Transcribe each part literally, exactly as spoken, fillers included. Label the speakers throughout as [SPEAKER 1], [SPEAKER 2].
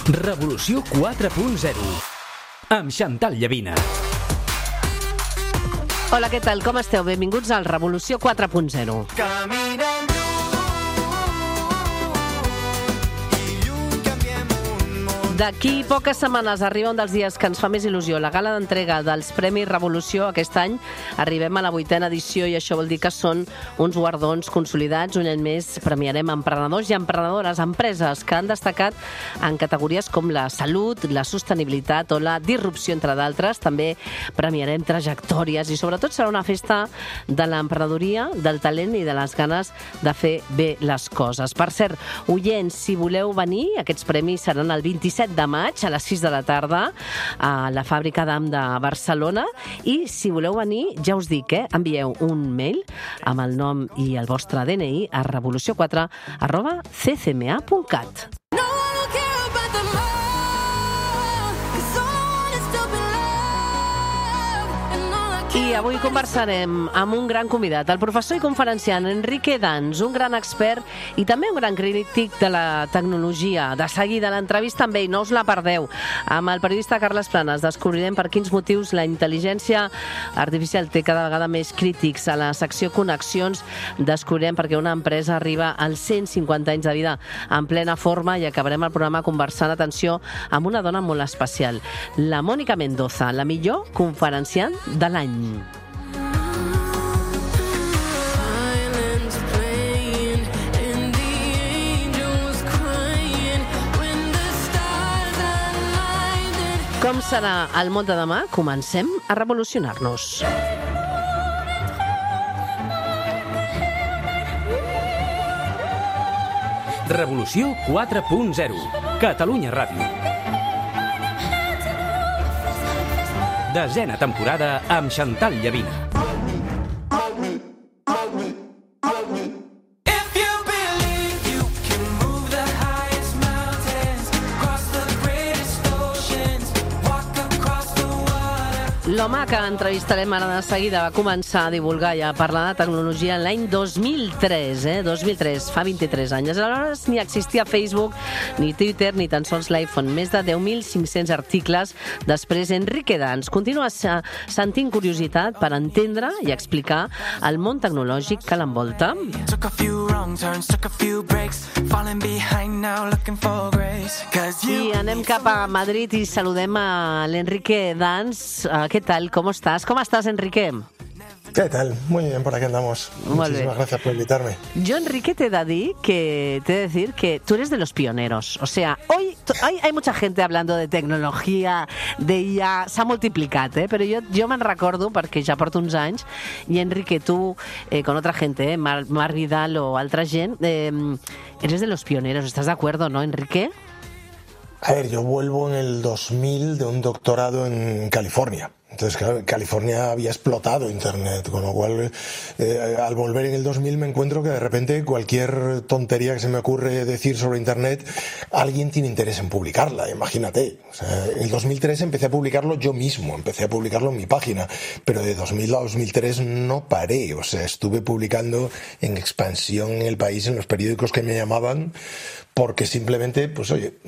[SPEAKER 1] Revolució quatre punt zero amb Chantal Llavina.
[SPEAKER 2] Hola, què tal? Com esteu? Benvinguts al Revolució quatre punt zero.
[SPEAKER 3] Caminant
[SPEAKER 2] D'aquí poques setmanes arriba un dels dies que ens fa més il·lusió, la gala d'entrega dels Premis Revolució. Aquest any arribem a la vuitena edició i això vol dir que són uns guardons consolidats. Un any més premiarem emprenedors i emprenedores, empreses que han destacat en categories com la salut, la sostenibilitat o la disrupció, entre d'altres. També premiarem trajectòries i sobretot serà una festa de l'emprenedoria, del talent i de les ganes de fer bé les coses. Per cert, oients, si voleu venir, aquests premis seran el vint-i-set de maig a les sis de la tarda a la Fàbrica d'Am de Barcelona, i si voleu venir, ja us dic, eh, envieu un mail amb el nom i el vostre D N I a revolució quatre arroba c c m a punt cat. I avui conversarem amb un gran convidat, el professor i conferenciant Enrique Dans, un gran expert i també un gran crític de la tecnologia. De seguida l'entrevista amb ell, no us la perdeu. Amb el periodista Carles Planas descobrirem per quins motius la intel·ligència artificial té cada vegada més crítics. A la secció Connexions descobrirem per què una empresa arriba als cent cinquanta anys de vida en plena forma, i acabarem el programa conversant, atenció, amb una dona molt especial, la Mònica Mendoza, la millor conferenciant de l'any. Com serà el món de demà? Comencem a revolucionar-nos.
[SPEAKER 1] Revolució quatre punt zero. Catalunya Ràdio. Desena temporada amb Chantal Llavina.
[SPEAKER 2] L'home que entrevistarem ara de seguida va començar a divulgar i a parlar de tecnologia l'any dos mil tres, eh? dos mil tres, fa vint-i-tres anys. Aleshores ni existia Facebook, ni Twitter, ni tan sols l'iPhone. Més de deu mil cinc-cents articles. Després, Enrique Dans continua sentint curiositat per entendre i explicar el món tecnològic que l'envolta. I anem cap a Madrid i saludem a l'Enrique Dans. ¿Qué tal? ¿Cómo estás? ¿Cómo estás, Enrique?
[SPEAKER 4] ¿Qué tal? Muy bien, por aquí andamos.
[SPEAKER 2] Muy
[SPEAKER 4] Muchísimas
[SPEAKER 2] bien.
[SPEAKER 4] gracias por invitarme.
[SPEAKER 2] Yo, Enrique, te da di que te he de decir que tú eres de los pioneros. O sea, hoy hay, hay mucha gente hablando de tecnologia, de I A, s'ha multiplicat, eh? Però jo, jo me'n recordo, perquè ja porto uns anys, i Enrique, tú, eh, con otra gente, eh, Mar, Mar Vidal o altra gent, eh, eres de los pioneros. ¿Estás de acuerdo, no, Enrique?
[SPEAKER 4] A ver, yo vuelvo en el dos mil de un doctorado en California. Entonces, claro, California había explotado Internet, con lo cual, eh, al volver en el dos mil me encuentro que de repente cualquier tontería que se me ocurre decir sobre Internet, alguien tiene interés en publicarla, imagínate. O sea, en el dos mil tres empecé a publicarlo yo mismo, empecé a publicarlo en mi página, pero de dos mil a dos mil tres no paré. O sea, estuve publicando en expansión en el país, en los periódicos que me llamaban, porque simplemente, pues oye,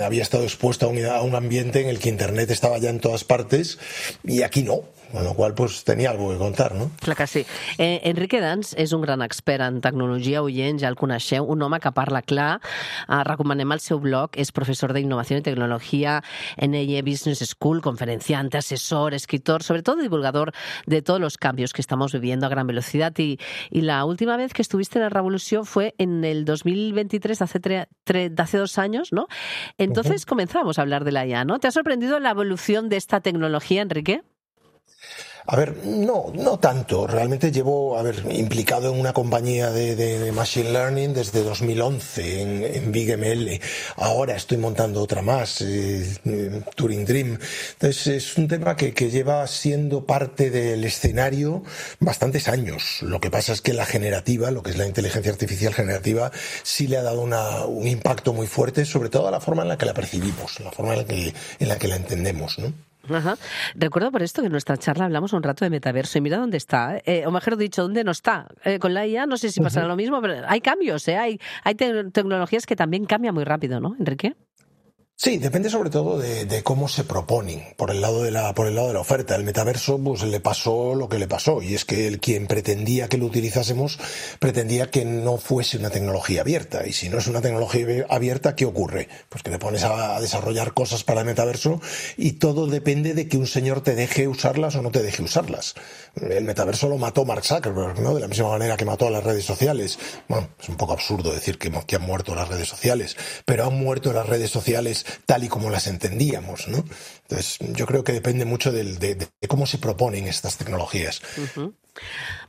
[SPEAKER 4] había estado expuesto a un, a un ambiente en el que Internet estaba ya en todas partes y aquí no. Con lo qual, pues, tenia algo que contar, no?
[SPEAKER 2] Clar que sí. Eh, Enrique Dans és un gran expert en tecnologia, oient, ja el coneixeu, un home que parla clar. Eh, recomanem el seu blog, és professor d'innovació i tecnologia en N I E Business School, conferenciante, asesor, escritor, sobre todo divulgador de todos los cambios que estamos viviendo a gran velocidad. Y, y la última vez que estuviste en la Revolución fue en el dos mil veintitrés, hace, tre, tre, hace dos años, ¿no? Entonces uh-huh. comenzamos a hablar de la I A, ¿no? ¿Te ha sorprendido la evolución de esta tecnología, Enrique?
[SPEAKER 4] A ver, no, no tanto. Realmente llevo, a ver, implicado en una compañía de, de, de Machine Learning desde dos mil once en, en Big M L. Ahora estoy montando otra más, eh, Turing Dream. Entonces es un tema que, que lleva siendo parte del escenario bastantes años. Lo que pasa es que la generativa, lo que es la inteligencia artificial generativa, sí le ha dado una, un impacto muy fuerte, sobre todo a la forma en la que la percibimos, la forma en la que, en la, que la entendemos, ¿no?
[SPEAKER 2] Ajá. Recuerdo por esto que en nuestra charla hablamos un rato de metaverso y mira dónde está, eh, o mejor dicho, dónde no está. Eh, con la I A no sé si pasará uh-huh. lo mismo, pero hay cambios, ¿eh? hay, hay te- tecnologías que también cambian muy rápido, ¿no, Enrique?
[SPEAKER 4] Sí, depende sobre todo de, de cómo se proponen por el lado de la por el lado de la oferta. El metaverso pues le pasó lo que le pasó, y es que el quien pretendía que lo utilizásemos pretendía que no fuese una tecnología abierta, y si no es una tecnología abierta, ¿qué ocurre? Pues que te pones a, a desarrollar cosas para el metaverso y todo depende de que un señor te deje usarlas o no te deje usarlas. El metaverso lo mató Mark Zuckerberg, ¿no? De la misma manera que mató a las redes sociales. Bueno, es un poco absurdo decir que, que han muerto las redes sociales, pero han muerto las redes sociales tal y como las entendíamos, ¿no? Entonces, yo creo que depende mucho de, de, de cómo se proponen estas tecnologías.
[SPEAKER 2] Uh-huh.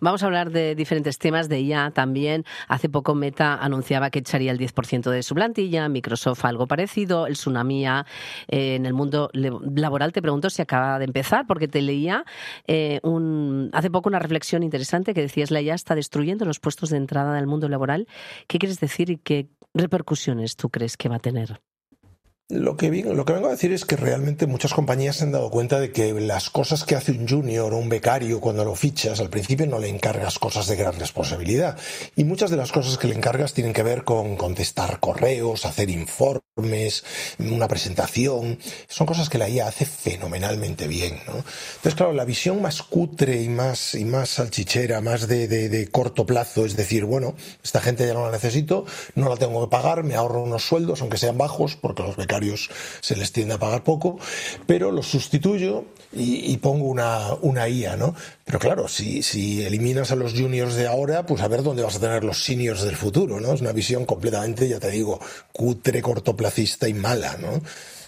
[SPEAKER 2] Vamos a hablar de diferentes temas de I A también. Hace poco Meta anunciaba que echaría el diez por ciento de su plantilla, Microsoft algo parecido, el tsunami I A eh, en el mundo laboral. Te pregunto si acaba de empezar, porque te leía eh, un, hace poco una reflexión interesante que decías: la I A está destruyendo los puestos de entrada del mundo laboral. ¿Qué quieres decir y qué repercusiones tú crees que va a tener?
[SPEAKER 4] Lo que, lo que vengo a decir es que realmente muchas compañías se han dado cuenta de que las cosas que hace un junior o un becario cuando lo fichas, al principio no le encargas cosas de gran responsabilidad. Y muchas de las cosas que le encargas tienen que ver con contestar correos, hacer informes, una presentación. Son cosas que la I A hace fenomenalmente bien, ¿no? Entonces, claro, la visión más cutre y más, y más salchichera, más de, de, de corto plazo, es decir, bueno, esta gente ya no la necesito, no la tengo que pagar, me ahorro unos sueldos, aunque sean bajos, porque los becarios se les tiende a pagar poco, pero los sustituyo y, y pongo una, una I A, ¿no? Pero claro, si, si eliminas a los juniors de ahora, pues a ver dónde vas a tener los seniors del futuro, ¿no? Es una visión completamente, ya te digo, cutre, cortoplacista y mala, ¿no?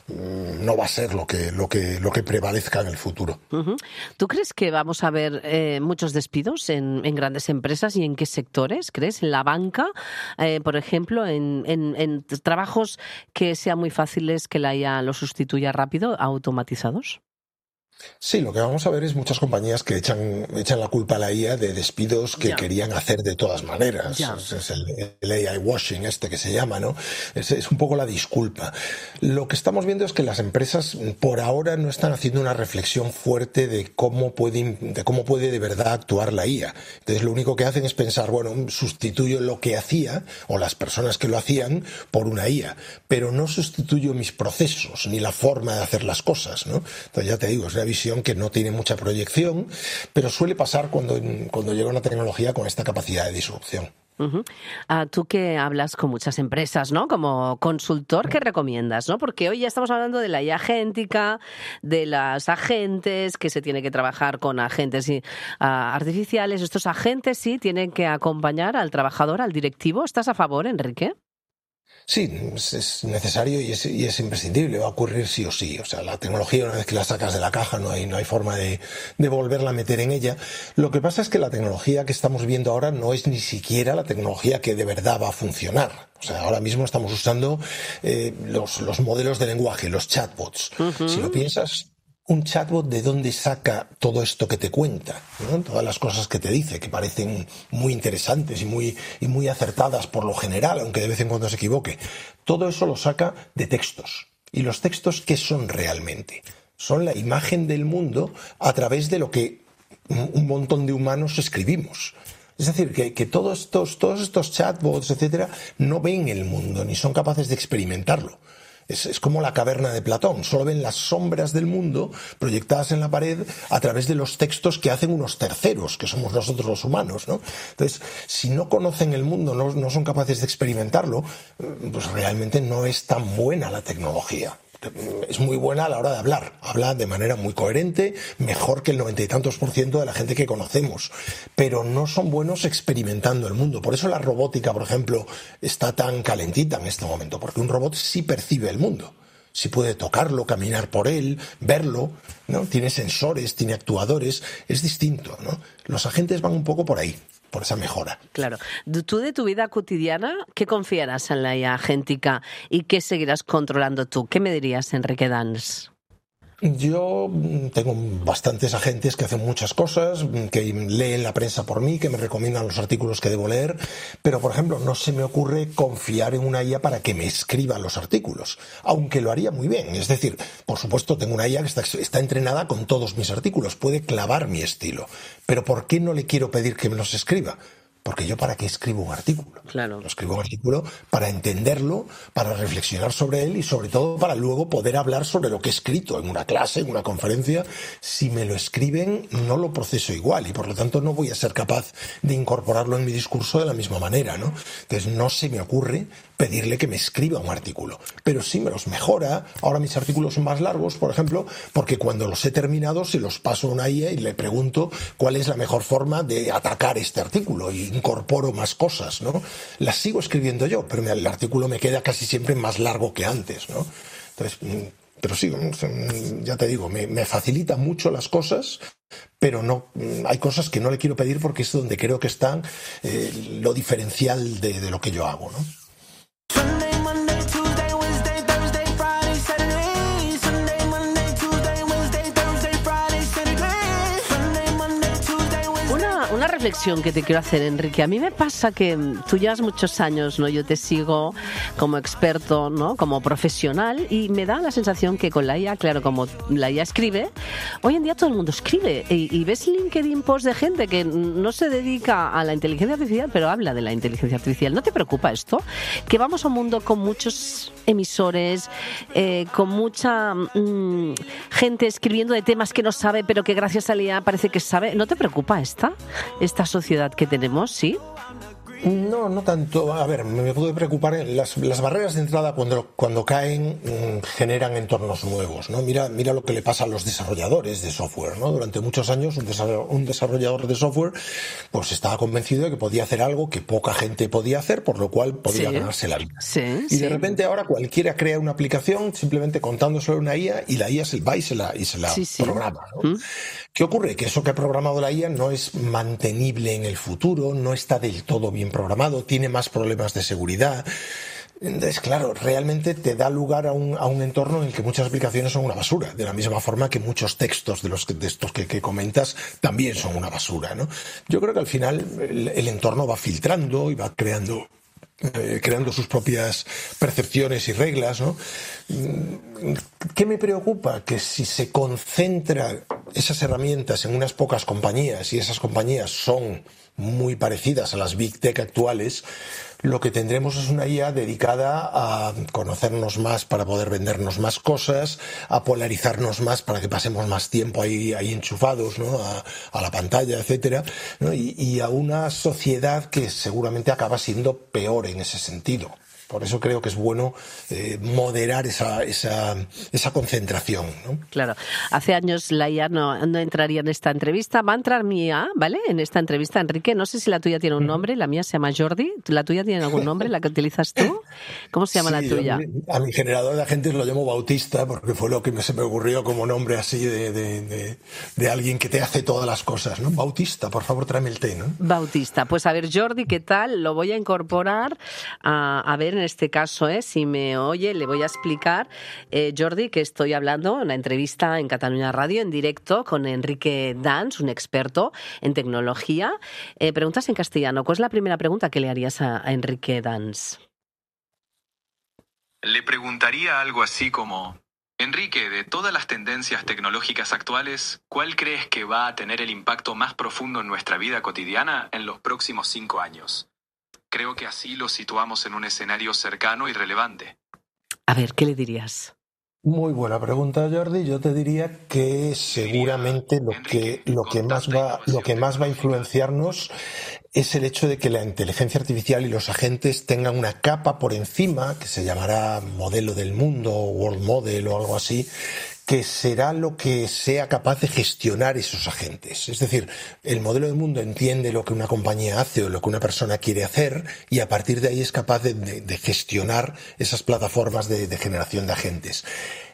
[SPEAKER 4] No va a ser lo que lo que lo que prevalezca en el futuro.
[SPEAKER 2] Uh-huh. ¿Tú crees que vamos a ver eh, muchos despidos en, en grandes empresas, y en qué sectores crees? ¿En la banca, eh, por ejemplo, en, en, en trabajos que sean muy fáciles que la I A los sustituya rápido, automatizados?
[SPEAKER 4] Sí, lo que vamos a ver es muchas compañías que echan, echan la culpa a la I A de despidos que
[SPEAKER 2] ya.
[SPEAKER 4] querían hacer de todas maneras. Es, es el, el A I washing este que se llama, ¿no? Es, es un poco la disculpa. Lo que estamos viendo es que las empresas por ahora no están haciendo una reflexión fuerte de cómo puede, de cómo puede de verdad actuar la I A. Entonces lo único que hacen es pensar, bueno, sustituyo lo que hacía o las personas que lo hacían por una I A, pero no sustituyo mis procesos ni la forma de hacer las cosas, ¿no? Entonces ya te digo, es una visión que no tiene mucha proyección, pero suele pasar cuando, cuando llega una tecnología con esta capacidad de disrupción.
[SPEAKER 2] Uh-huh. Uh, tú que hablas con muchas empresas, ¿no? Como consultor, ¿qué recomiendas, no? Porque hoy ya estamos hablando de la I A agéntica, de las agentes, que se tiene que trabajar con agentes uh, artificiales. Estos agentes sí tienen que acompañar al trabajador, al directivo. ¿Estás a favor, Enrique?
[SPEAKER 4] Sí, es necesario y es, y es imprescindible, va a ocurrir sí o sí. O sea, la tecnología, una vez que la sacas de la caja, no hay, no hay forma de, de volverla a meter en ella. Lo que pasa es que la tecnología que estamos viendo ahora no es ni siquiera la tecnología que de verdad va a funcionar. O sea, ahora mismo estamos usando eh, los, los modelos de lenguaje, los chatbots. Uh-huh. Si lo piensas, un chatbot, ¿de dónde saca todo esto que te cuenta, ¿no? Todas las cosas que te dice, que parecen muy interesantes y muy, y muy acertadas por lo general, aunque de vez en cuando se equivoque. Todo eso lo saca de textos. ¿Y los textos qué son realmente? Son la imagen del mundo a través de lo que un montón de humanos escribimos. Es decir, que, que todos estos, todos estos chatbots, etcétera, no ven el mundo ni son capaces de experimentarlo. Es, es como la caverna de Platón, solo ven las sombras del mundo proyectadas en la pared a través de los textos que hacen unos terceros, que somos nosotros los humanos, ¿no? Entonces, si no conocen el mundo, no, no son capaces de experimentarlo, pues realmente no es tan buena la tecnología. Es muy buena a la hora de hablar, habla de manera muy coherente, mejor que el noventa y tantos por ciento de la gente que conocemos, pero no son buenos experimentando el mundo. Por eso la robótica, por ejemplo, está tan calentita en este momento, porque un robot sí percibe el mundo, sí puede tocarlo, caminar por él, verlo, ¿no? Tiene sensores, tiene actuadores, es distinto, ¿no? Los agentes van un poco por ahí, por esa mejora.
[SPEAKER 2] Claro. Tú de tu vida cotidiana, ¿qué confiarás en la I A agéntica y qué seguirás controlando tú? ¿Qué me dirías, Enrique Dans?
[SPEAKER 4] Yo tengo bastantes agentes que hacen muchas cosas, que leen la prensa por mí, que me recomiendan los artículos que debo leer, pero, por ejemplo, no se me ocurre confiar en una I A para que me escriba los artículos, aunque lo haría muy bien. Es decir, por supuesto, tengo una I A que está, está entrenada con todos mis artículos, puede clavar mi estilo, pero ¿por qué no le quiero pedir que me los escriba? Porque yo, ¿para qué escribo un artículo?
[SPEAKER 2] Claro.
[SPEAKER 4] Yo escribo un artículo para entenderlo, para reflexionar sobre él y sobre todo para luego poder hablar sobre lo que he escrito en una clase, en una conferencia. Si me lo escriben, no lo proceso igual y por lo tanto no voy a ser capaz de incorporarlo en mi discurso de la misma manera, ¿no? Entonces no se me ocurre pedirle que me escriba un artículo, pero sí me los mejora. Ahora mis artículos son más largos, por ejemplo, porque cuando los he terminado se los paso a una I A y le pregunto cuál es la mejor forma de atacar este artículo y incorporo más cosas, ¿no? Las sigo escribiendo yo, pero el artículo me queda casi siempre más largo que antes, ¿no? Entonces, pero sí, ya te digo, me, me facilita mucho las cosas, pero no, hay cosas que no le quiero pedir porque es donde creo que está eh, lo diferencial de, de lo que yo hago, ¿no?
[SPEAKER 2] Una reflexión que te quiero hacer, Enrique. A mí me pasa que tú llevas muchos años, ¿no? Yo te sigo como experto, ¿no? Como profesional y me da la sensación que con la I A, claro, como la I A escribe, hoy en día todo el mundo escribe y, y ves LinkedIn post de gente que no se dedica a la inteligencia artificial, pero habla de la inteligencia artificial. ¿No te preocupa esto? Que vamos a un mundo con muchos emisores, eh, con mucha mmm, gente escribiendo de temas que no sabe, pero que gracias a la I A parece que sabe. ¿No te preocupa esta? Esta sociedad que tenemos, ¿sí?
[SPEAKER 4] No, no tanto. A ver, me puede preocupar. Las, las barreras de entrada cuando, cuando caen mmm, generan entornos nuevos, ¿no? Mira, mira lo que le pasa a los desarrolladores de software, ¿no? Durante muchos años un desarrollador, un desarrollador de software pues estaba convencido de que podía hacer algo que poca gente podía hacer, por lo cual podía sí. ganarse la vida.
[SPEAKER 2] Sí,
[SPEAKER 4] y
[SPEAKER 2] sí.
[SPEAKER 4] de repente ahora cualquiera crea una aplicación simplemente contándoselo a una I A y la I A se va y se la, y se la sí, sí. programa, ¿no? ¿Mm? ¿Qué ocurre? Que eso que ha programado la I A no es mantenible en el futuro, no está del todo bien programado, tiene más problemas de seguridad. Entonces, claro, realmente te da lugar a un, a un entorno en el que muchas aplicaciones son una basura, de la misma forma que muchos textos de los que, de estos que, que comentas también son una basura, ¿no? Yo creo que al final el, el entorno va filtrando y va creando Eh, creando sus propias percepciones y reglas, ¿no? ¿Qué me preocupa? Que si se concentran esas herramientas en unas pocas compañías y esas compañías son muy parecidas a las Big Tech actuales, lo que tendremos es una I A dedicada a conocernos más para poder vendernos más cosas, a polarizarnos más para que pasemos más tiempo ahí, ahí enchufados, ¿no? a, a la pantalla, etcétera, ¿no? y, y a una sociedad que seguramente acaba siendo peor en ese sentido. Por eso creo que es bueno eh, moderar esa, esa, esa concentración, ¿no?
[SPEAKER 2] Claro. Hace años la I A no, no entraría en esta entrevista. Va a entrar mi I A, ¿vale? En esta entrevista, Enrique. No sé si la tuya tiene un nombre. La mía se llama Jordi. ¿La tuya tiene algún nombre, la que utilizas tú? ¿Cómo se llama sí, la tuya?
[SPEAKER 4] Yo, a mi generador de agentes lo llamo Bautista porque fue lo que se me ocurrió como nombre así de, de, de, de alguien que te hace todas las cosas, ¿no? Bautista, por favor, tráeme el té, ¿no?
[SPEAKER 2] Bautista. Pues a ver, Jordi, ¿qué tal? Lo voy a incorporar a, a ver en este caso, ¿eh? Si me oye, le voy a explicar, eh, Jordi, que estoy hablando en una entrevista en Cataluña Radio en directo con Enrique Dans, un experto en tecnología. Eh, preguntas en castellano. ¿Cuál es la primera pregunta que le harías a, a Enrique Dans?
[SPEAKER 3] Le preguntaría algo así como: Enrique, de todas las tendencias tecnológicas actuales, ¿cuál crees que va a tener el impacto más profundo en nuestra vida cotidiana en los próximos cinco años? Creo que así lo situamos en un escenario cercano y relevante.
[SPEAKER 2] A ver, ¿qué le dirías?
[SPEAKER 4] Muy buena pregunta, Jordi. Yo te diría que seguramente lo que, lo que más va, lo que más va a influenciarnos es el hecho de que la inteligencia artificial y los agentes tengan una capa por encima, que se llamará modelo del mundo, world model o algo así, que será lo que sea capaz de gestionar esos agentes. Es decir, el modelo del mundo entiende lo que una compañía hace o lo que una persona quiere hacer y a partir de ahí es capaz de, de, de gestionar esas plataformas de, de generación de agentes.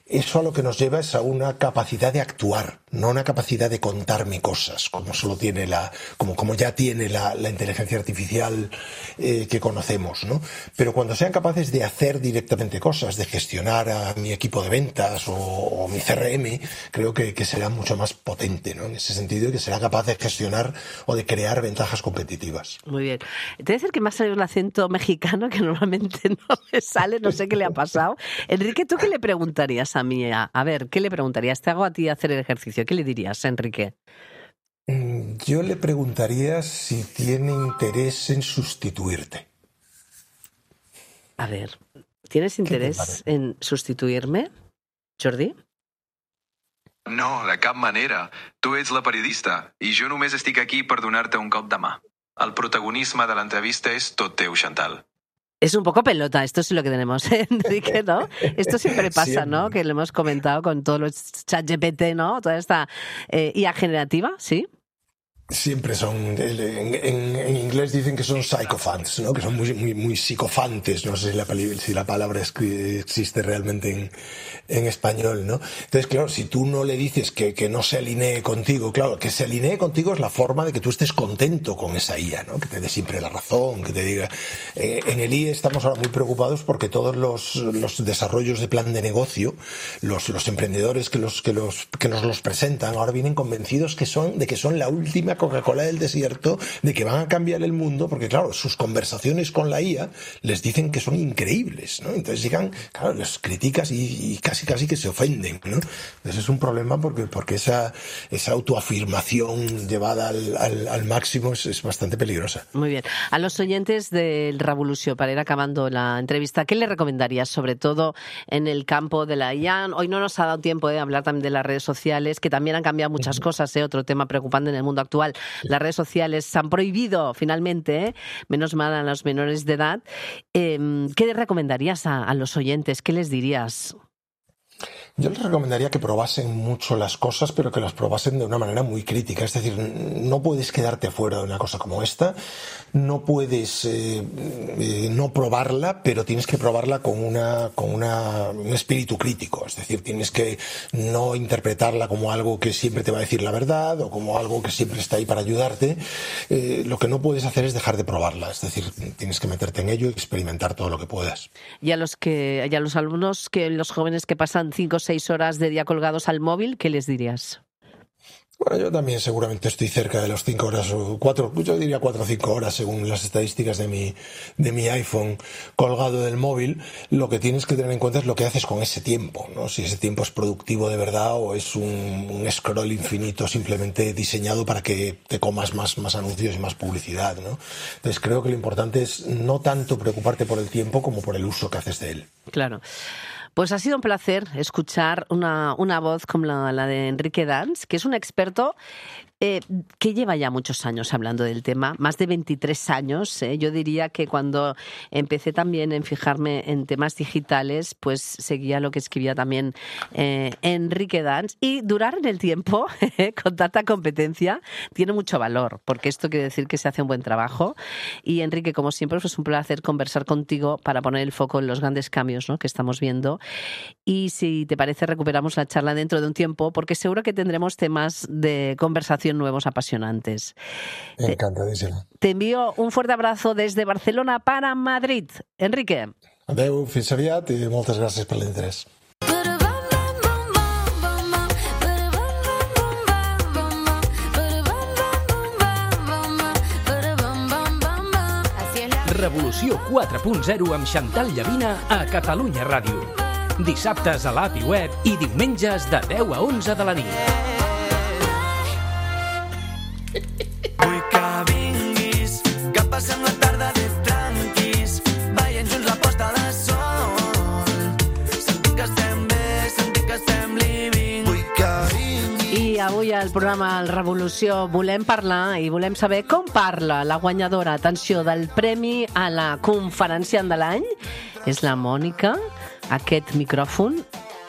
[SPEAKER 4] Eso a lo que nos lleva es a una capacidad de actuar, no una capacidad de contarme cosas, como solo tiene la, como, como ya tiene la, la inteligencia artificial eh, que conocemos, ¿no? Pero cuando sean capaces de hacer directamente cosas, de gestionar a mi equipo de ventas o, o mi C R M, creo que, que será mucho más potente, ¿no? En ese sentido, y que será capaz de gestionar o de crear ventajas competitivas.
[SPEAKER 2] Muy bien. Te voy a decir que me ha salido un acento mexicano que normalmente no me sale, no sé qué le ha pasado. Enrique, ¿tú qué le preguntarías a mí? A ver, ¿qué le preguntarías? Te hago a ti hacer el ejercicio. ¿Qué le dirías, Enrique?
[SPEAKER 4] Yo le preguntaría si tiene interés en sustituirte.
[SPEAKER 2] A ver, ¿tienes interés en sustituirme, Jordi?
[SPEAKER 3] No, de cap manera. Tu ets la periodista i jo només estic aquí per donar-te un cop de mà. El protagonisme de l'entrevista és tot teu, Chantal.
[SPEAKER 2] Es un poco pelota, esto sí lo que tenemos, Enrique, ¿no? Esto siempre pasa, siempre. ¿No? Que lo hemos comentado con todos los chat G P T, ¿no? Toda esta eh, I A generativa, ¿sí?
[SPEAKER 4] Siempre son, en, en, en inglés dicen que son psychophants, ¿no? Que son muy, muy, muy psicofantes, no sé si la, si la palabra existe realmente en, en español, ¿no? Entonces, claro, si tú no le dices que, que no se alinee contigo, claro, que se alinee contigo es la forma de que tú estés contento con esa I A, ¿no? Que te dé siempre la razón, que te diga... Eh, en el I E estamos ahora muy preocupados porque todos los, los desarrollos de plan de negocio, los, los emprendedores que, los, que, los, que nos los presentan, ahora vienen convencidos que son, de que son la última Coca-Cola del desierto, de que van a cambiar el mundo, porque claro, sus conversaciones con la I A les dicen que son increíbles, ¿no? Entonces llegan, claro, les criticas y, y casi casi que se ofenden, ¿no? Entonces es un problema porque, porque esa, esa autoafirmación llevada al, al, al máximo es, es bastante peligrosa.
[SPEAKER 2] Muy bien. A los oyentes del Revolució, para ir acabando la entrevista, ¿qué le recomendarías, sobre todo en el campo de la I A? Hoy no nos ha dado tiempo de hablar también de las redes sociales, que también han cambiado muchas uh-huh. cosas, ¿eh? Otro tema preocupante en el mundo actual. Las redes sociales se han prohibido finalmente, ¿eh? Menos mal a los menores de edad. Eh, ¿Qué le recomendarías a, a los oyentes? ¿Qué les dirías?
[SPEAKER 4] Yo les recomendaría que probasen mucho las cosas, pero que las probasen de una manera muy crítica. Es decir, no puedes quedarte fuera de una cosa como esta, no puedes eh, eh, no probarla, pero tienes que probarla con una con una, un espíritu crítico. Es decir, tienes que no interpretarla como algo que siempre te va a decir la verdad o como algo que siempre está ahí para ayudarte. Eh, lo que no puedes hacer es dejar de probarla. Es decir, tienes que meterte en ello y experimentar todo lo que puedas.
[SPEAKER 2] Y a los que, y a los alumnos, que los jóvenes que pasan cinco o seis horas de día colgados al móvil, ¿qué les dirías?
[SPEAKER 4] Bueno, yo también seguramente estoy cerca de las cinco horas o cuatro, yo diría cuatro o cinco horas según las estadísticas de mi, de mi iPhone colgado del móvil. Lo que tienes que tener en cuenta es lo que haces con ese tiempo, ¿no? Si ese tiempo es productivo de verdad o es un, un scroll infinito simplemente diseñado para que te comas más, más anuncios y más publicidad, ¿no? Entonces creo que lo importante es no tanto preocuparte por el tiempo como por el uso que haces de él.
[SPEAKER 2] Claro. Pues ha sido un placer escuchar una, una voz como la, la de Enrique Dans, que es un experto eh, que lleva ya muchos años hablando del tema, más de veintitrés años. Eh. Yo diría que cuando empecé también en fijarme en temas digitales, pues seguía lo que escribía también eh, Enrique Dans. Y durar en el tiempo, eh, con tanta competencia, tiene mucho valor, porque esto quiere decir que se hace un buen trabajo. Y Enrique, como siempre, pues es un placer conversar contigo para poner el foco en los grandes cambios, ¿no?, que estamos viendo. Y si te parece, recuperamos la charla dentro de un tiempo, porque seguro que tendremos temas de conversación nuevos apasionantes.
[SPEAKER 4] Encantadísimo.
[SPEAKER 2] Te, te envío un fuerte abrazo desde Barcelona para Madrid. Enrique.
[SPEAKER 4] Adeu, fins aviat i moltes gràcies per l'interès.
[SPEAKER 1] Revolució quatre punt zero amb Chantal Llavina a Catalunya Ràdio. Dissabtes a l'app i web i diumenges de deu a onze de la nit.
[SPEAKER 5] Vull que vinguis, que passem la tarda de tranquis, veient junts la posta de sol. Sentim que estem bé, sentim que estem living. Vull que vinguis.
[SPEAKER 2] I avui al programa El Revolució volem parlar i volem saber com parla la guanyadora, atenció, del premi a la conferenciant de l'any. És la Mònica. Aquest micròfon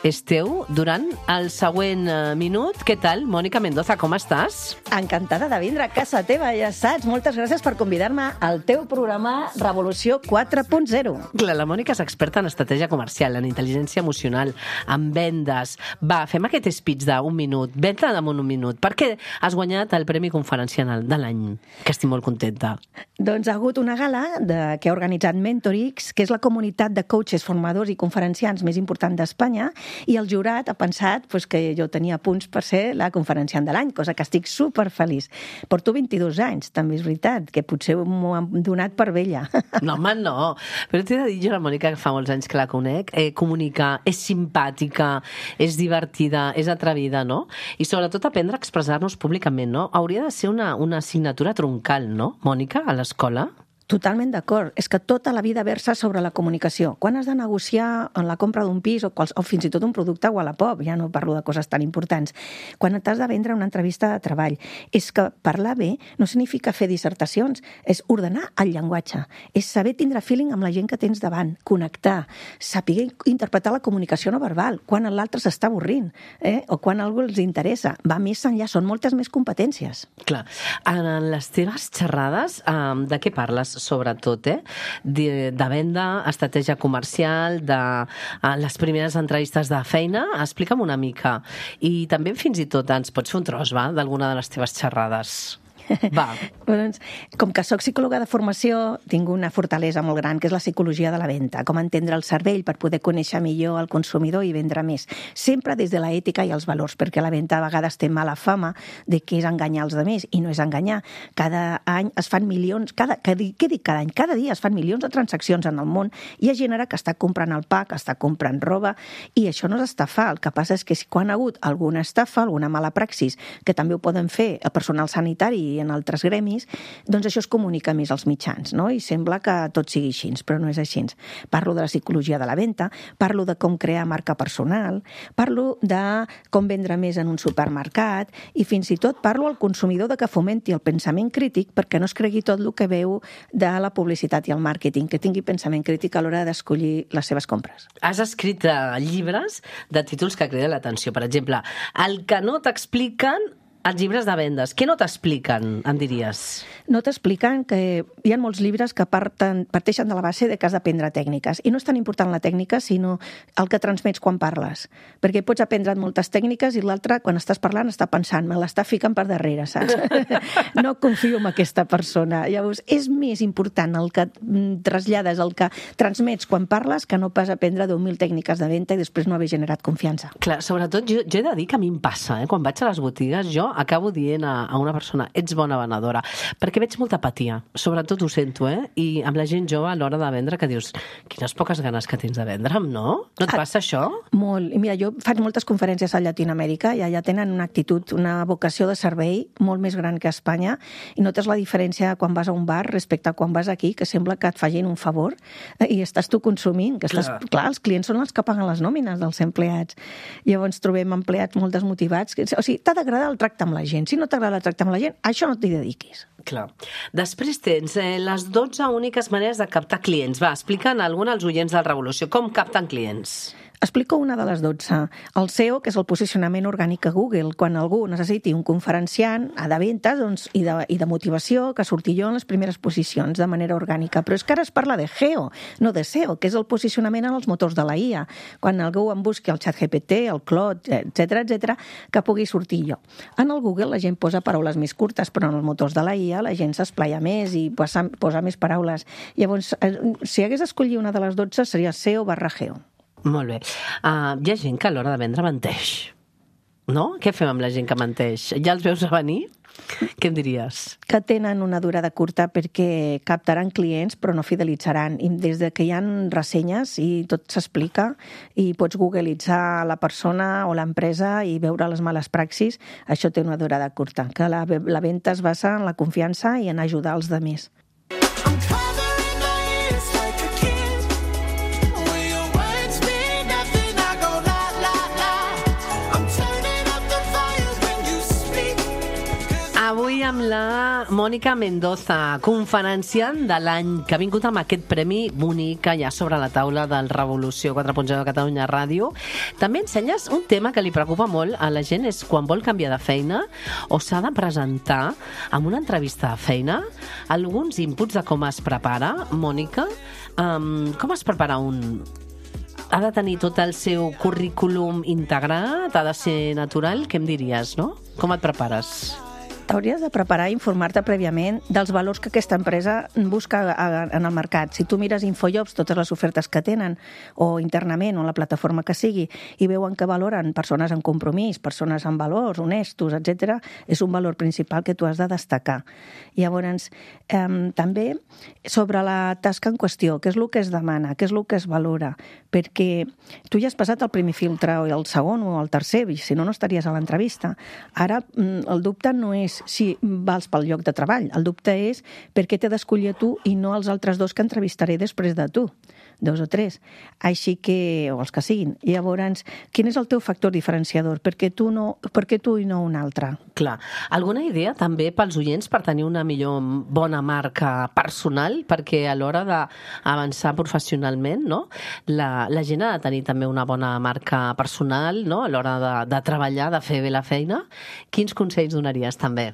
[SPEAKER 2] és teu durant el següent minut. Què tal, Mònica Mendoza, com estàs?
[SPEAKER 6] Encantada de vindre a casa teva, ja saps. Moltes gràcies per convidar-me al teu programa Revolució quatre punt zero.
[SPEAKER 2] Clar, la Mònica és experta en estratègia comercial, en intel·ligència emocional, en vendes. Va, fem aquest speech d'un minut. Ven-te damunt un minut. Per què has guanyat el Premi Conferencial de l'any? Que estic molt contenta.
[SPEAKER 6] Doncs ha hagut una gala de, que ha organitzat Mentorix, que és la comunitat de coaches, formadors i conferenciants més important d'Espanya, I el jurat ha pensat pues, que jo tenia punts per ser la conferenciant de l'any, cosa que estic superfeliç. Porto vint-i-dos anys, també és veritat, que potser m'ho han donat per vella.
[SPEAKER 2] No, home, no. Però t'he de dir, jo, la Mònica, que fa molts anys que la conec, eh, comunica, és simpàtica, és divertida, és atrevida, no? I sobretot aprendre a expressar-nos públicament, no? Hauria de ser una, una assignatura troncal, no, Mònica, a l'escola?
[SPEAKER 6] Totalment d'acord. És que tota la vida versa sobre la comunicació. Quan has de negociar en la compra d'un pis o, quals, o fins i tot un producte a Wallapop, ja no parlo de coses tan importants, quan t'has de vendre una entrevista de treball, és que parlar bé no significa fer dissertacions, és ordenar el llenguatge, és saber tindre feeling amb la gent que tens davant, connectar, saber interpretar la comunicació no verbal, quan l'altre s'està avorrint, eh? o quan algú els interessa. Va més enllà, són moltes més competències.
[SPEAKER 2] Clar. En les teves xerrades, eh, de què parles? Sobretot, eh? De, de venda, estratègia comercial, de uh, les primeres entrevistes de feina. Explica'm una mica. I també fins i tot ens pots fer un tros, va?, d'alguna de les teves xerrades. Va.
[SPEAKER 6] Doncs, com que sóc psicòloga de formació, tinc una fortalesa molt gran, que és la psicologia de la venda, com entendre el cervell per poder conèixer millor el consumidor i vendre més. Sempre des de l'ètica i els valors, perquè la venda a vegades té mala fama de que és enganyar els altres, i no és enganyar. Cada any es fan milions, cada, què dic cada any? Cada dia es fan milions de transaccions en el món, i hi ha gent ara que està comprant el pa, que està comprant roba, i això no és estafar. El que passa és que si quan ha hagut alguna estafa, alguna mala praxis, que també ho poden fer el personal sanitari i en altres gremis, doncs això es comunica més als mitjans, no? I sembla que tot sigui així, però no és així. Parlo de la psicologia de la venda, parlo de com crear marca personal, parlo de com vendre més en un supermercat i fins i tot parlo al consumidor de que fomenti el pensament crític perquè no es cregui tot el que veu de la publicitat i el màrqueting, que tingui pensament crític a l'hora d'escollir les seves compres.
[SPEAKER 2] Has escrit llibres de títols que criden l'atenció. Per exemple, el que no t'expliquen els llibres de vendes. Què no t'expliquen, em diries?
[SPEAKER 6] No t'expliquen que hi ha molts llibres que parten, parteixen de la base de que has d'aprendre tècniques. I no és tan important la tècnica, sinó el que transmets quan parles. Perquè pots aprendre moltes tècniques i l'altre, quan estàs parlant, està pensant, me l'està ficant per darrere, saps? No confio en aquesta persona. Llavors, és més important el que trasllades, el que transmets quan parles, que no pas aprendre deu mil tècniques de venda i després no haver generat confiança.
[SPEAKER 2] Clar, sobretot jo, jo he de dir que a mi em passa, eh? Quan vaig a les botigues, jo acabo dient a, a una persona, ets bona venedora, perquè veig molta apatia, sobretot ho sento, eh? I amb la gent jove a l'hora de vendre que dius, quines poques ganes que tens de vendre'm, no? No et passa això?
[SPEAKER 6] Molt. I mira, jo faig moltes conferències a Llatinoamèrica i allà tenen una actitud, una vocació de servei molt més gran que a Espanya i notes la diferència quan vas a un bar respecte a quan vas aquí, que sembla que et facin un favor i estàs tu consumint, que estàs, clar. clar, els clients són els que paguen les nòmines dels empleats. Llavors trobem empleats molt desmotivats. O sigui, t'ha d'agradar el tracte amb la gent. Si no t'agrada el tracte amb la gent, a això no t'hi dediquis.
[SPEAKER 2] Clar. Després tens eh, les dotze úniques maneres de captar clients. Va, explica'n alguna als oients del Revolució. Com capten clients?
[SPEAKER 6] Explico una de les dotze. El S E O, que és el posicionament orgànic a Google. Quan algú necessiti un conferenciant de ventes doncs, i, de, i de motivació, que surti jo en les primeres posicions de manera orgànica. Però és que ara es parla de G E O, no de S E O, que és el posicionament en els motors de la I A. Quan algú em busqui el ChatGPT, el Claude, etcètera, etcètera, que pugui sortir jo. En el Google la gent posa paraules més curtes, però en els motors de la I A la gent s'esplaia més i posa, posa més paraules. Llavors, si hagués d'escollir una de les dotze, seria S E O barra G E O.
[SPEAKER 2] Molt bé. Uh, hi ha gent que a l'hora de vendre menteix, no? Què fem amb la gent que menteix? Ja els veus a venir? Què em diries?
[SPEAKER 6] Que tenen una durada curta perquè captaran clients però no fidelitzaran. I des de que hi ha ressenyes i tot s'explica i pots googlitzar la persona o l'empresa i veure les males praxis, això té una durada curta. Que la, la venda es basa en la confiança i en ajudar els altres.
[SPEAKER 2] Avui amb la Mònica Mendoza, conferenciant de l'any, que ha vingut amb aquest premi bonic allà sobre la taula del Revolució quatre punt zero de Catalunya Ràdio. També ensenyes un tema que li preocupa molt a la gent, és quan vol canviar de feina o s'ha de presentar amb una entrevista de feina. Alguns inputs de com es prepara, Mònica. Um, com es prepara un... Ha de tenir tot el seu currículum integrat? Ha de ser natural? Què em diries, no? Com et prepares?
[SPEAKER 6] T'hauries de preparar i informar-te prèviament dels valors que aquesta empresa busca en el mercat. Si tu mires Infojobs, totes les ofertes que tenen, o internament, o la plataforma que sigui, i veuen que valoren persones amb compromís, persones amb valors, honestos, etcètera, és un valor principal que tu has de destacar. Llavors, eh, també sobre la tasca en qüestió, què és el que es demana, què és el que es valora, perquè tu ja has passat el primer filtre, o el segon, o el tercer, i si no, no estaries a l'entrevista. Ara, el dubte no és si vals pel lloc de treball. El dubte és per què t'he d'escollir a tu i no els altres dos que entrevistaré després de tu, dos o tres. Així que, o els que siguin. I llavors, quin és el teu factor diferenciador? Per què tu, no, per què tu i no un altre?
[SPEAKER 2] Clar. Alguna idea també pels oients per tenir una millor bona marca personal? Perquè a l'hora d'avançar professionalment, no? la, la gent ha de tenir també una bona marca personal, no? A l'hora de, de treballar, de fer bé la feina. Quins consells donaries també?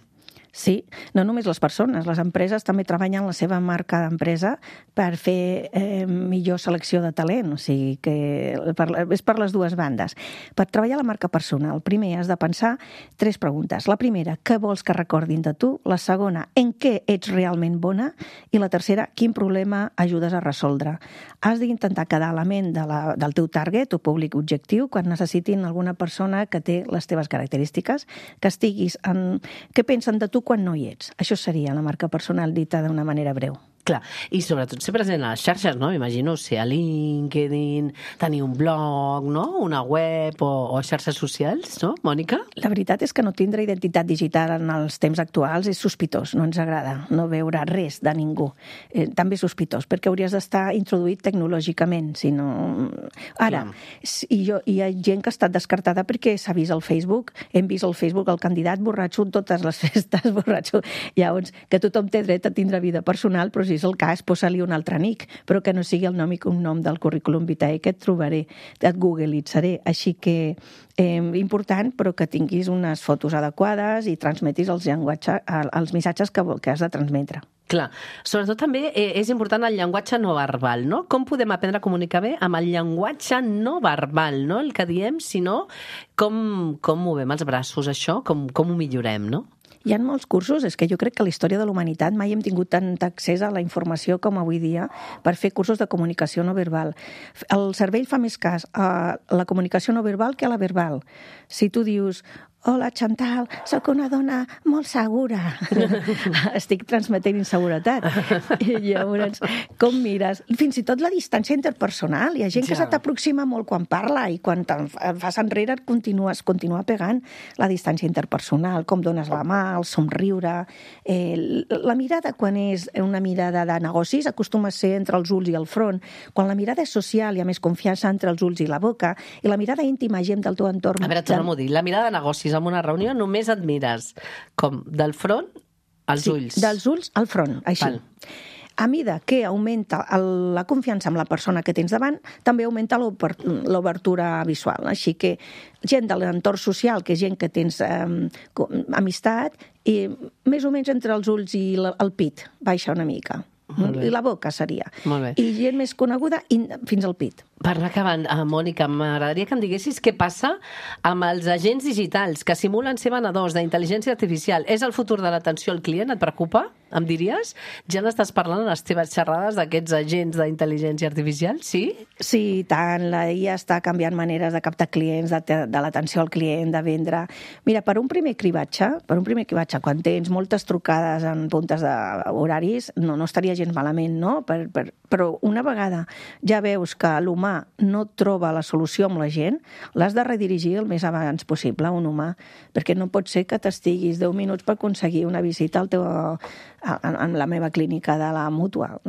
[SPEAKER 6] Sí, no només les persones, les empreses també treballen la seva marca d'empresa per fer eh, millor selecció de talent, o sigui que per, és per les dues bandes. Per treballar la marca personal, primer has de pensar tres preguntes. La primera, què vols que recordin de tu? La segona, en què ets realment bona? I la tercera, quin problema ajudes a resoldre? Has d'intentar quedar a la ment de la, del teu target o públic objectiu quan necessitin alguna persona que té les teves característiques, que estiguis en... què pensen de tu quan no hi ets. Això seria la marca personal dita d'una manera breu.
[SPEAKER 2] Clar, i sobretot ser present a les xarxes, no? M'imagino ser a LinkedIn, tenir un blog, no? Una web o, o xarxes socials, no, Mònica?
[SPEAKER 6] La veritat és que no tindre identitat digital en els temps actuals és sospitós, no ens agrada no veure res de ningú. Eh, també és sospitós, perquè hauries d'estar introduït tecnològicament, si no... Ara, i jo, hi ha gent que ha estat descartada perquè s'ha vist al Facebook, hem vist al Facebook el candidat borratxo totes les festes, borratxo. Llavors, que tothom té dret a tindre vida personal, però si és el cas, posa-li un altre nick, però que no sigui el nom i cognom del currículum vitae que et trobaré, et googlitzaré. Així que, eh, important, però que tinguis unes fotos adequades i transmetis els, llenguatge, els missatges que, que has de transmetre.
[SPEAKER 2] Clar, sobretot també eh, és important el llenguatge no verbal, no? Com podem aprendre a comunicar bé amb el llenguatge no verbal, no? El que diem, sinó com, com movem els braços, això, com, com ho millorem, no?
[SPEAKER 6] Hi ha molts cursos, és que jo crec que a la història de la humanitat mai hem tingut tant accés a la informació com avui dia per fer cursos de comunicació no verbal. El cervell fa més cas a la comunicació no verbal que a la verbal. Si tu dius, hola, Chantal, sóc una dona molt segura. Estic transmetent inseguretat. I llavors, com mires? Fins i tot la distància interpersonal. Hi ha gent que ja se t'aproxima molt quan parla i quan te'n fas enrere et continues, continua pegant la distància interpersonal, com dones la mà, el somriure. Eh, la mirada, quan és una mirada de negocis, acostuma a ser entre els ulls i el front. Quan la mirada és social, hi ha més confiança entre els ulls i la boca. I la mirada íntima, gent del teu entorn...
[SPEAKER 2] A veure, torna-m'ho a dir. La mirada de negocis en una reunió només et mires com del front als
[SPEAKER 6] sí,
[SPEAKER 2] ulls.
[SPEAKER 6] Dels ulls al front, així. Val. A mida que augmenta el, la confiança amb la persona que tens davant, també augmenta l'obertura visual. Així que gent de l'entorn social, que és gent que tens eh, amistat, i més o menys entre els ulls i la, el pit, baixa una mica. I la boca seria. I gent més coneguda i fins al pit.
[SPEAKER 2] Per anar acabant, uh, Mònica, m'agradaria que em diguessis què passa amb els agents digitals que simulen ser venedors d'intel·ligència artificial. És el futur de l'atenció al client? Et preocupa? Em diries? Ja n'estàs parlant en les teves xerrades d'aquests agents d'intel·ligència artificial? Sí?
[SPEAKER 6] Sí, tant. La I A està canviant maneres de captar clients, de, de l'atenció al client, de vendre. Mira, per un primer cribatge, per un primer cribatge, quan tens moltes trucades en puntes d'horaris, no, no estaria gens malament, no? Per, per, però una vegada ja veus que l'humà no troba la solució amb la gent, l'has de redirigir el més abans possible a un humà, perquè no pot ser que t'estiguis deu minuts per aconseguir una visita al teu, en la meva clínica de la mútua,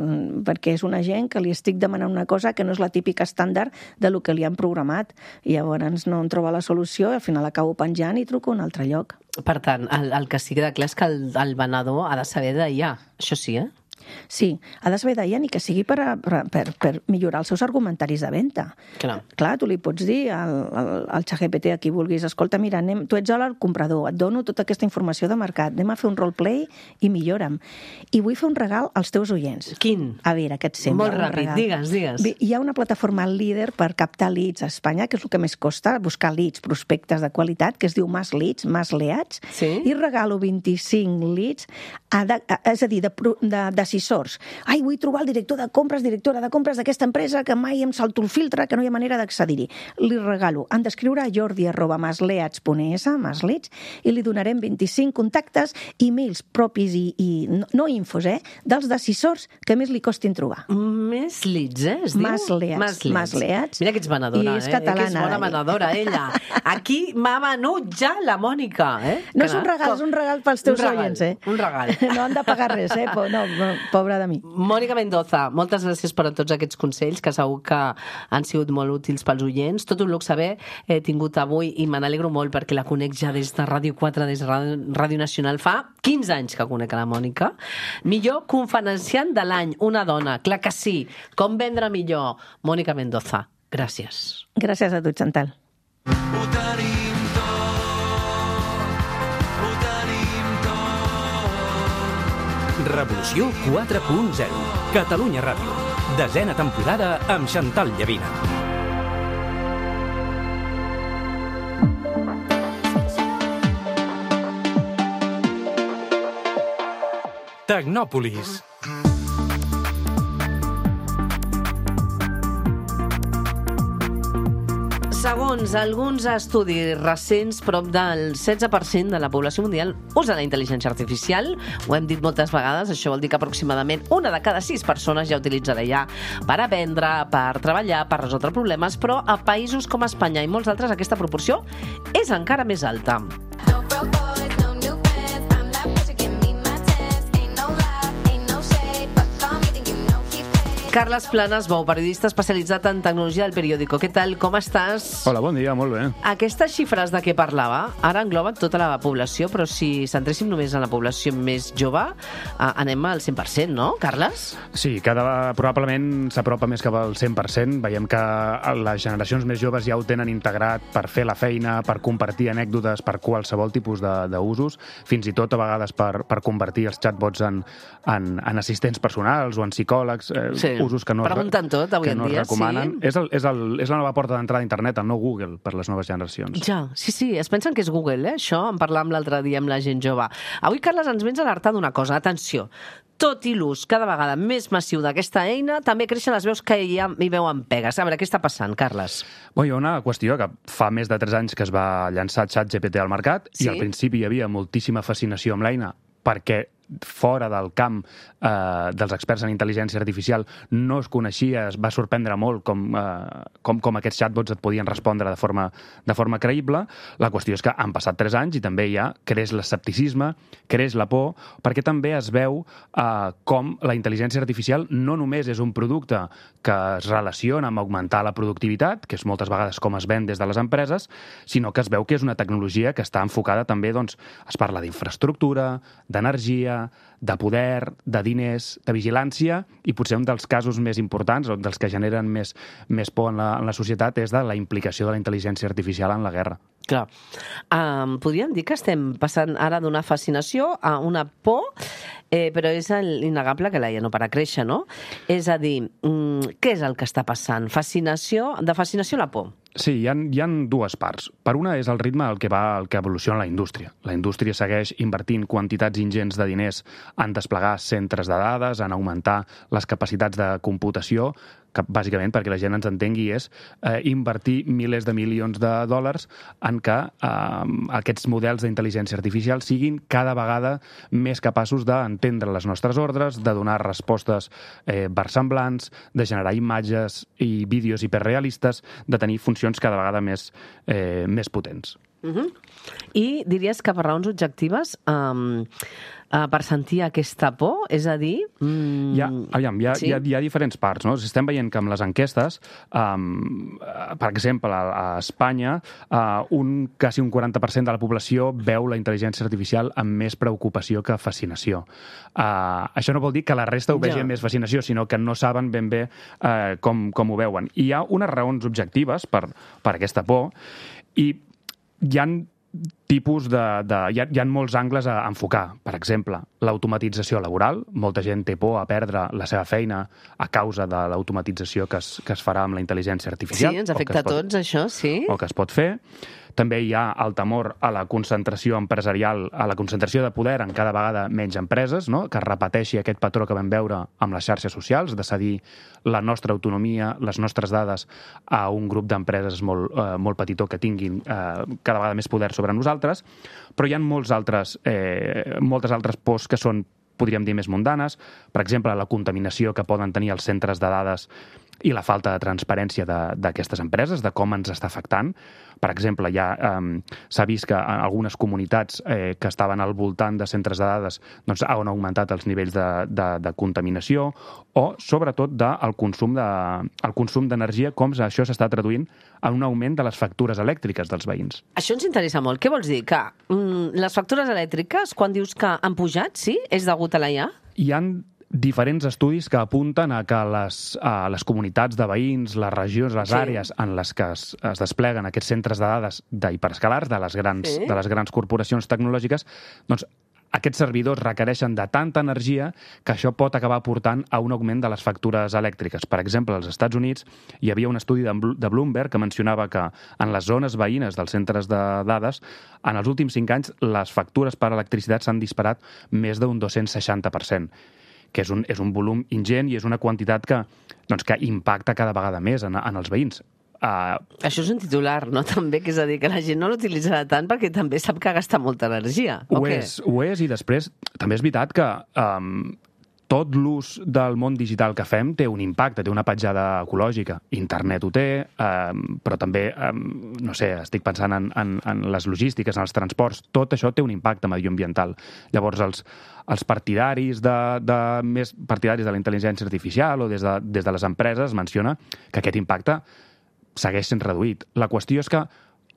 [SPEAKER 6] perquè és una gent que li estic demanant una cosa que no és la típica estàndard de lo que li han programat, i llavors no en troba la solució i al final acabo penjant i truco a un altre lloc.
[SPEAKER 2] Per tant, el, el que sí que queda clar és que el, el venedor ha de saber de I A, això sí, eh?
[SPEAKER 6] Sí, ha de saber d'ella ni que sigui per, a, per, per, per millorar els seus argumentaris de venda.
[SPEAKER 2] Clar.
[SPEAKER 6] Clar, tu li pots dir al, al, al ChatGPT a qui vulguis, escolta, mira, anem, tu ets el comprador, et dono tota aquesta informació de mercat, anem a fer un roleplay i millora'm. I vull fer un regal als teus oients.
[SPEAKER 2] Quin?
[SPEAKER 6] A veure, què et sembla?
[SPEAKER 2] Molt ràpid, digues, digues.
[SPEAKER 6] Bé, hi ha una plataforma líder per captar leads a Espanya, que és el que més costa, buscar leads, prospectes de qualitat, que es diu Mas Leads, Mas Leads,
[SPEAKER 2] sí?
[SPEAKER 6] I regalo vint-i-cinc leads, a de, a, és a dir, de, de, decisors. Ai, vull trobar el director de compres, directora de compres d'aquesta empresa que mai em salto el filtre, que no hi ha manera d'accedir-hi. Li regalo. Han d'escriure a jordi arroba masleats punt es, masleats, i li donarem vint-i-cinc contactes, e-mails propis i, i no, no infos, eh, dels decisors que més li costin trobar.
[SPEAKER 2] Més leads, eh, es diu?
[SPEAKER 6] Masleats. Masleats.
[SPEAKER 2] Mira que ets venedora,
[SPEAKER 6] I és
[SPEAKER 2] eh?
[SPEAKER 6] catalana.
[SPEAKER 2] Que és bona venedora, ella. Aquí m'ha venut ja la Mònica, eh?
[SPEAKER 6] No és un regal, és un regal pels teus oients, eh?
[SPEAKER 2] Un regal.
[SPEAKER 6] No han de pagar res, eh? No, no, pobra de mi.
[SPEAKER 2] Mònica Mendoza, moltes gràcies per a tots aquests consells que segur que han sigut molt útils pels oients. Tot un luxe haver eh, tingut avui i me n'alegro molt perquè la conec ja des de Ràdio quatre, des de Ràdio Nacional. Fa quinze anys que conec a la Mònica. Millor conferenciant de l'any, una dona. Clar que sí. Com vendre millor? Mònica Mendoza, gràcies.
[SPEAKER 6] Gràcies a tu, Chantal.
[SPEAKER 5] Ho tenim tot, ho tenim tot.
[SPEAKER 1] Revolució quatre punt zero. Catalunya Ràdio. Desena temporada amb Chantal Llavina. Tecnòpolis.
[SPEAKER 2] Segons alguns estudis recents, prop del setze per cent de la població mundial usa la intel·ligència artificial. Ho hem dit moltes vegades, això vol dir que aproximadament una de cada sis persones ja utilitza l'I A per aprendre, per treballar, per resoldre problemes, però a països com Espanya i molts altres aquesta proporció és encara més alta. Carles Planas Bou, periodista especialitzat en tecnologia del Periódico. Què tal, com estàs?
[SPEAKER 7] Hola, bon dia, molt bé.
[SPEAKER 2] Aquestes xifres de què parlava ara engloben tota la població, però si centréssim només en la població més jove, anem al cent per cent, no, Carles?
[SPEAKER 7] Sí, cada, probablement s'apropa més cap al cent per cent. Veiem que les generacions més joves ja ho tenen integrat per fer la feina, per compartir anècdotes, per qualsevol tipus d'usos, fins i tot a vegades per, per convertir els chatbots en, en, en assistents personals o en psicòlegs, eh,
[SPEAKER 2] sí.
[SPEAKER 7] usos que no,
[SPEAKER 2] Pregunten tot, avui
[SPEAKER 7] que
[SPEAKER 2] en
[SPEAKER 7] no
[SPEAKER 2] dia,
[SPEAKER 7] es recomanen.
[SPEAKER 2] sí.
[SPEAKER 7] És, el, és, el, és la nova porta d'entrada a internet, el nou Google, per les noves generacions.
[SPEAKER 2] Ja, sí, sí, es pensen que és Google, eh, això, en parlàvem l'altre dia amb la gent jove. Avui, Carles, ens vens a alertar d'una cosa, atenció, tot i l'ús cada vegada més massiu d'aquesta eina, també creixen les veus que ja hi veuen pegues. A veure, què està passant, Carles?
[SPEAKER 7] Bon, hi ha una qüestió que fa més de tres anys que es va llançar ChatGPT al mercat,
[SPEAKER 2] sí?
[SPEAKER 7] I al principi hi havia moltíssima fascinació amb l'eina perquè fora del camp eh, dels experts en intel·ligència artificial no es coneixia, es va sorprendre molt com, eh, com, com aquests chatbots et podien respondre de forma, de forma creïble. La qüestió és que han passat tres anys i també ja creix l'escepticisme, creix la por, perquè també es veu eh, com la intel·ligència artificial no només és un producte que es relaciona amb augmentar la productivitat, que és moltes vegades com es ven des de les empreses, sinó que es veu que és una tecnologia que està enfocada també, doncs, es parla d'infraestructura, d'energia, de poder, de diners, de vigilància, i potser un dels casos més importants, o dels que generen més, més por en la, en la societat, és de la implicació de la intel·ligència artificial en la guerra.
[SPEAKER 2] Clar. Um, podríem dir que estem passant ara d'una fascinació a una por, eh, però és innegable que l'A I A no para créixer, no? És a dir, um, què és el que està passant? Fascinació, de fascinació a la por?
[SPEAKER 7] Sí, hi ha, hi ha dues parts. Per una és el ritme al que va, el que evoluciona la indústria. La indústria segueix invertint quantitats ingents de diners en desplegar centres de dades, en augmentar les capacitats de computació, que bàsicament, perquè la gent ens entengui, és eh, invertir milers de milions de dòlars en que eh, aquests models d'intel·ligència artificial siguin cada vegada més capaços d'entendre les nostres ordres, de donar respostes eh, versemblants, de generar imatges i vídeos hiperrealistes, de tenir funcions cada vegada més, eh, més potents.
[SPEAKER 2] Uh-huh. I diries que per raons objectives, um, uh, per sentir aquesta por, és a dir... Um,
[SPEAKER 7] hi, ha, aviam, hi, ha,
[SPEAKER 2] sí?
[SPEAKER 7] hi, ha, hi ha diferents parts, no? Estem veient que amb les enquestes, um, per exemple, a, a Espanya, uh, un, quasi un quaranta per cent de la població veu la intel·ligència artificial amb més preocupació que fascinació. Uh, això no vol dir que la resta ho vegi amb més fascinació, sinó que no saben ben bé uh, com, com ho veuen. I hi ha unes raons objectives per, per aquesta por, i hi ha tipus de... de hi, ha, hi ha molts angles a enfocar. Per exemple, l'automatització laboral. Molta gent té por a perdre la seva feina a causa de l'automatització que es, que es farà amb la intel·ligència artificial.
[SPEAKER 2] Sí, ens afecta a tots, això, sí.
[SPEAKER 7] O que es pot fer. També hi ha el temor a la concentració empresarial, a la concentració de poder en cada vegada menys empreses, no? Que es repeteixi aquest patró que vam veure amb les xarxes socials, de cedir la nostra autonomia, les nostres dades a un grup d'empreses molt, eh, molt petitó que tinguin eh, cada vegada més poder sobre nosaltres, però hi ha molts altres, eh, moltes altres pors que són, podríem dir, més mundanes. Per exemple, la contaminació que poden tenir els centres de dades i la falta de transparència d'aquestes empreses, de com ens està afectant. Per exemple, ja eh, s'ha vist que en algunes comunitats eh, que estaven al voltant de centres de dades doncs, han augmentat els nivells de, de, de contaminació o, sobretot, de, el consum de, el consum d'energia, com això s'està traduint en un augment de les factures elèctriques dels veïns.
[SPEAKER 2] Això ens interessa molt. Què vols dir? Que mm, les factures elèctriques, quan dius que han pujat, sí? És degut a la I A?
[SPEAKER 7] Hi ha diferents estudis que apunten a que les, a les comunitats de veïns, les regions, les sí. àrees en les que es, es despleguen aquests centres de dades d'hiperescalars, de les grans, sí. de les grans corporacions tecnològiques, doncs aquests servidors requereixen de tanta energia que això pot acabar portant a un augment de les factures elèctriques. Per exemple, als Estats Units hi havia un estudi de Bloomberg que mencionava que en les zones veïnes dels centres de dades, en els últims cinc anys, les factures per electricitat s'han disparat més d'un dos-cents seixanta per cent, que és un, és un volum ingent i és una quantitat que, doncs, que impacta cada vegada més en, en els veïns. Uh...
[SPEAKER 2] Això és un titular, no? També, que és a dir, que la gent no l'utilitzarà tant perquè també sap que gasta molta energia.
[SPEAKER 7] Ho és, ho és, i després també és veritat que um, tot l'ús del món digital que fem té un impacte, té una petjada ecològica. Internet ho té, um, però també, um, no sé, estic pensant en, en, en les logístiques, en els transports, tot això té un impacte medioambiental. Llavors, els, els partidaris de, de, més partidaris de la intel·ligència artificial o des de, des de les empreses menciona que aquest impacte segueix sent reduït. La qüestió és que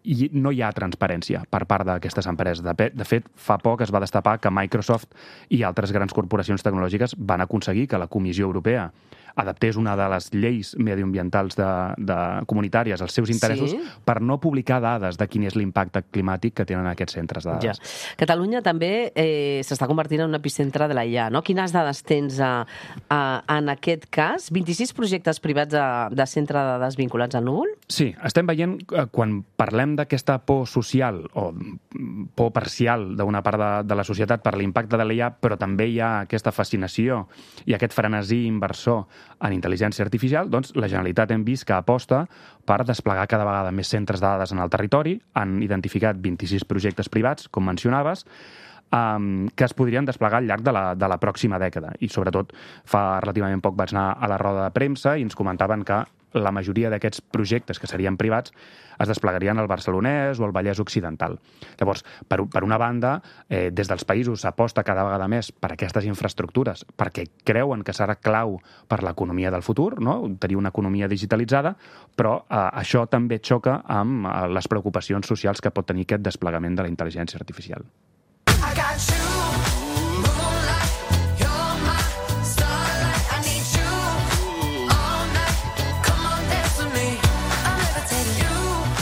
[SPEAKER 7] i no hi ha transparència per part d'aquestes empreses. De, de fet, fa poc es va destapar que Microsoft i altres grans corporacions tecnològiques van aconseguir que la Comissió Europea adaptés una de les lleis mediambientals de, de comunitàries als seus interessos sí? per no publicar dades de quin és l'impacte climàtic que tenen aquests centres de dades.
[SPEAKER 2] Ja. Catalunya també eh, s'està convertint en un epicentre de la I A, no? Quines dades tens a, a, en aquest cas? vint-i-sis projectes privats de, de centre de dades vinculats al núvol?
[SPEAKER 7] Sí, estem veient, eh, quan parlem d'aquesta por social o por parcial d'una part de, de la societat per l'impacte de la I A, però també hi ha aquesta fascinació i aquest frenesí inversor en intel·ligència artificial, doncs la Generalitat hem vist que aposta per desplegar cada vegada més centres de dades en el territori. Han identificat vint-i-sis projectes privats, com mencionaves, um, que es podrien desplegar al llarg de la, de la pròxima dècada. I, sobretot, fa relativament poc vaig anar a la roda de premsa i ens comentaven que la majoria d'aquests projectes que serien privats es desplegarien al Barcelonès o al Vallès Occidental. Llavors, per, per una banda, eh, des dels països s'aposta cada vegada més per aquestes infraestructures perquè creuen que serà clau per l'economia del futur, no? Tenir una economia digitalitzada, però eh, això també xoca amb eh, les preocupacions socials que pot tenir aquest desplegament de la intel·ligència artificial.
[SPEAKER 5] I got you.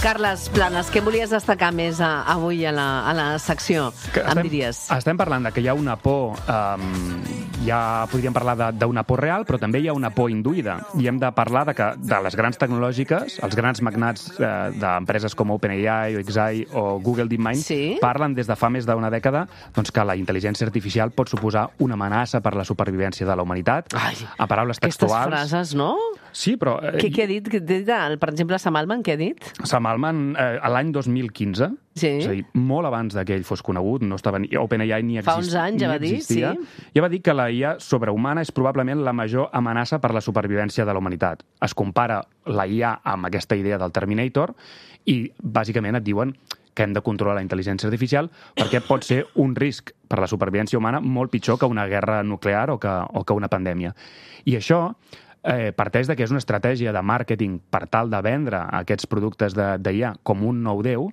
[SPEAKER 2] Carles Planes, què volies destacar més a, avui a la, a la secció?
[SPEAKER 7] Que
[SPEAKER 2] em
[SPEAKER 7] estem,
[SPEAKER 2] diries?
[SPEAKER 7] Estem parlant de que hi ha una por, um, ja podríem parlar d'una por real, però també hi ha una por induïda. I hem de parlar de que de les grans tecnològiques, els grans magnats eh, d'empreses com OpenAI o Xai o Google DeepMind,
[SPEAKER 2] sí?
[SPEAKER 7] parlen des de fa més d'una dècada doncs, que la intel·ligència artificial pot suposar una amenaça per la supervivència de la humanitat.
[SPEAKER 2] Ai,
[SPEAKER 7] a paraules textuals...
[SPEAKER 2] Aquestes frases, no?
[SPEAKER 7] Sí, però... Eh,
[SPEAKER 2] què, què ha dit? Què ha dit? Per exemple, Sam Altman, què ha dit?
[SPEAKER 7] Sam Altman, eh, a l'any dos mil quinze,
[SPEAKER 2] sí?
[SPEAKER 7] és a dir, molt abans que ell fos conegut, no estava ni, OpenAI ni, exist,
[SPEAKER 2] Fa uns anys, ja va dir,
[SPEAKER 7] existia,
[SPEAKER 2] sí.
[SPEAKER 7] ja va dir que la I A sobrehumana és probablement la major amenaça per la supervivència de la humanitat. Es compara la I A amb aquesta idea del Terminator i, bàsicament, et diuen que hem de controlar la intel·ligència artificial perquè pot ser un risc per a la supervivència humana molt pitjor que una guerra nuclear o que, o que una pandèmia. I això eh, parteix de que és una estratègia de màrqueting per tal de vendre aquests productes d'I A com un nou déu,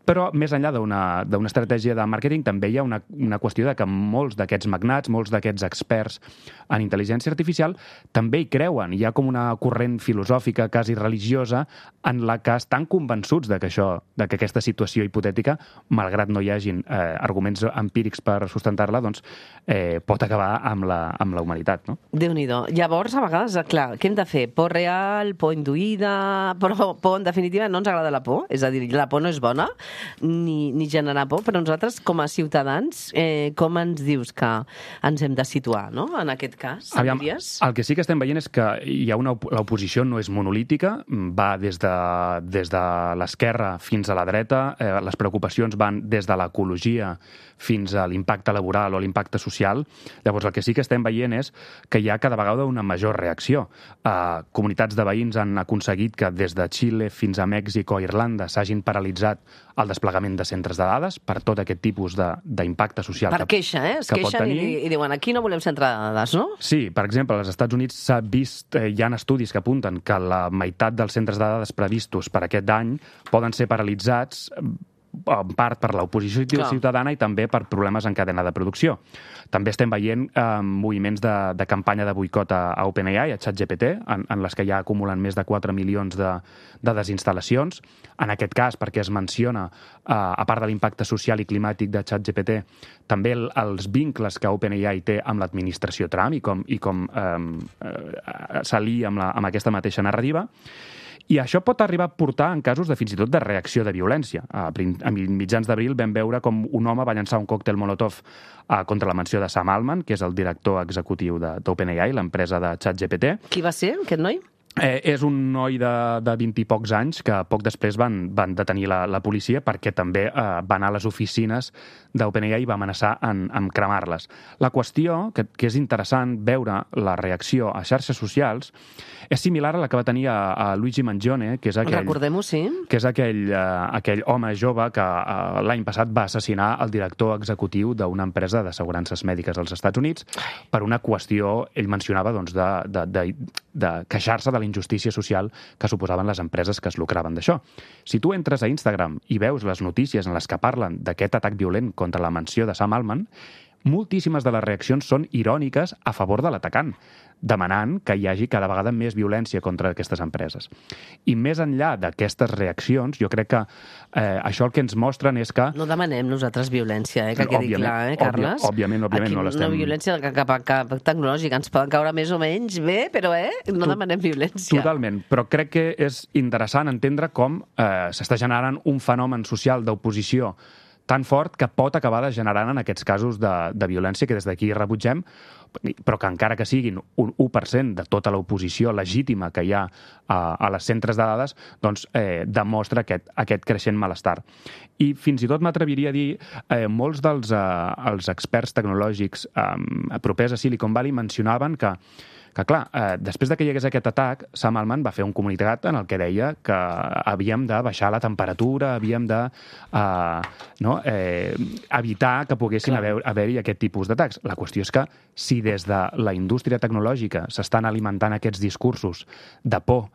[SPEAKER 7] però més enllà d'una d'una estratègia de màrqueting també hi ha una, una qüestió de que molts d'aquests magnats, molts d'aquests experts en intel·ligència artificial també hi creuen. Hi ha com una corrent filosòfica, quasi religiosa, en la que estan convençuts de que, això, de que aquesta situació hipotètica, malgrat no hi hagin eh, arguments empírics per sustentar-la, doncs eh, pot acabar amb la, amb la humanitat. No?
[SPEAKER 2] Déu-n'hi-do. Llavors, a vegades, clar, què hem de fer? Por real, por induïda, però por, en definitiva, no ens agrada la por? És a dir, la por no és bona, ni, ni generar por, però nosaltres, com a ciutadans, eh, com ens dius que ens hem de situar, no?, en aquest cas?
[SPEAKER 7] Aviam, el que sí que estem veient és que hi ha una, l'oposició no és monolítica, va des de, des de l'esquerra fins a la dreta, eh, les preocupacions van des de l'ecologia fins a l'impacte laboral o l'impacte social. Llavors, el que sí que estem veient és que hi ha cada vegada una major reacció. Eh, comunitats de veïns han aconseguit que des de Xile fins a Mèxic o Irlanda s'hagin paralitzat el desplegament de centres de dades per tot aquest tipus d'impacte social.
[SPEAKER 2] Per queixa, eh? Es
[SPEAKER 7] que pot
[SPEAKER 2] queixen
[SPEAKER 7] tenir.
[SPEAKER 2] i, i diuen, aquí no volem centre de dades, no?
[SPEAKER 7] Sí, per exemple, als Estats Units s'ha vist, eh, hi ha estudis que apunten que la meitat dels centres de dades previstos per aquest any poden ser paralitzats en part per l'oposició ciutadana i també per problemes en cadena de producció. També estem veient eh, moviments de, de campanya de boicot a, a OpenAI, a ChatGPT, en, en les que ja acumulen més de quatre milions de, de desinstal·lacions. En aquest cas, perquè es menciona, eh, a part de l'impacte social i climàtic de ChatGPT, també el, els vincles que OpenAI té amb l'administració Trump i com, i com eh, eh, s'alia amb, la, amb aquesta mateixa narrativa. I això pot arribar a portar en casos de fins i tot de reacció de violència. A, a mitjans d'abril vam veure com un home va llançar un còctel Molotov a, contra la mansió de Sam Altman, que és el director executiu d'OpenAI, l'empresa de ChatGPT.
[SPEAKER 2] Qui va ser, aquest noi?
[SPEAKER 7] Eh, és un noi de, de vint i pocs anys que poc després van, van detenir la, la policia perquè també eh, va anar a les oficines d'OpenAI i va amenaçar en, en cremar-les. La qüestió, que, que és interessant veure la reacció a xarxes socials, és similar a la que va tenir a, a Luigi Mangione, que és aquell,
[SPEAKER 2] recordem-ho, sí.
[SPEAKER 7] que és aquell, eh, aquell home jove que eh, l'any passat va assassinar el director executiu d'una empresa d'assegurances mèdiques als Estats Units per una qüestió, ell mencionava, doncs, de, de, de, de queixar-se de la injustícia social que suposaven les empreses que es lucraven d'això. Si tu entres a Instagram i veus les notícies en les que parlen d'aquest atac violent contra la mansió de Sam Altman, moltíssimes de les reaccions són iròniques a favor de l'atacant, demanant que hi hagi cada vegada més violència contra aquestes empreses. I més enllà d'aquestes reaccions, jo crec que eh, això el que ens mostren és que...
[SPEAKER 2] No demanem nosaltres violència, eh, que quedi
[SPEAKER 7] òbviament,
[SPEAKER 2] clar, eh, Carles?
[SPEAKER 7] Òbviament, òbviament
[SPEAKER 2] Aquí
[SPEAKER 7] no l'estem...
[SPEAKER 2] Una violència cap, cap, cap tecnològica, ens poden caure més o menys bé, però eh, no
[SPEAKER 7] Tot,
[SPEAKER 2] demanem violència.
[SPEAKER 7] Totalment, però crec que és interessant entendre com eh, s'està generant un fenomen social d'oposició tan fort que pot acabar degenerant en aquests casos de, de violència que des d'aquí rebutgem, però que encara que siguin un u per cent de tota l'oposició legítima que hi ha a, a les centres de dades, doncs eh, demostra aquest, aquest creixent malestar. I fins i tot m'atreviria a dir, eh, molts dels eh, els experts tecnològics eh, propers a Silicon Valley mencionaven que que, clar, eh, després de que hi hagués aquest atac, Sam Altman va fer un comunicat en el que deia que havíem de baixar la temperatura, havíem de eh, no, eh, evitar que poguessin haver, haver-hi aquest tipus d'atacs. La qüestió és que si des de la indústria tecnològica s'estan alimentant aquests discursos de por,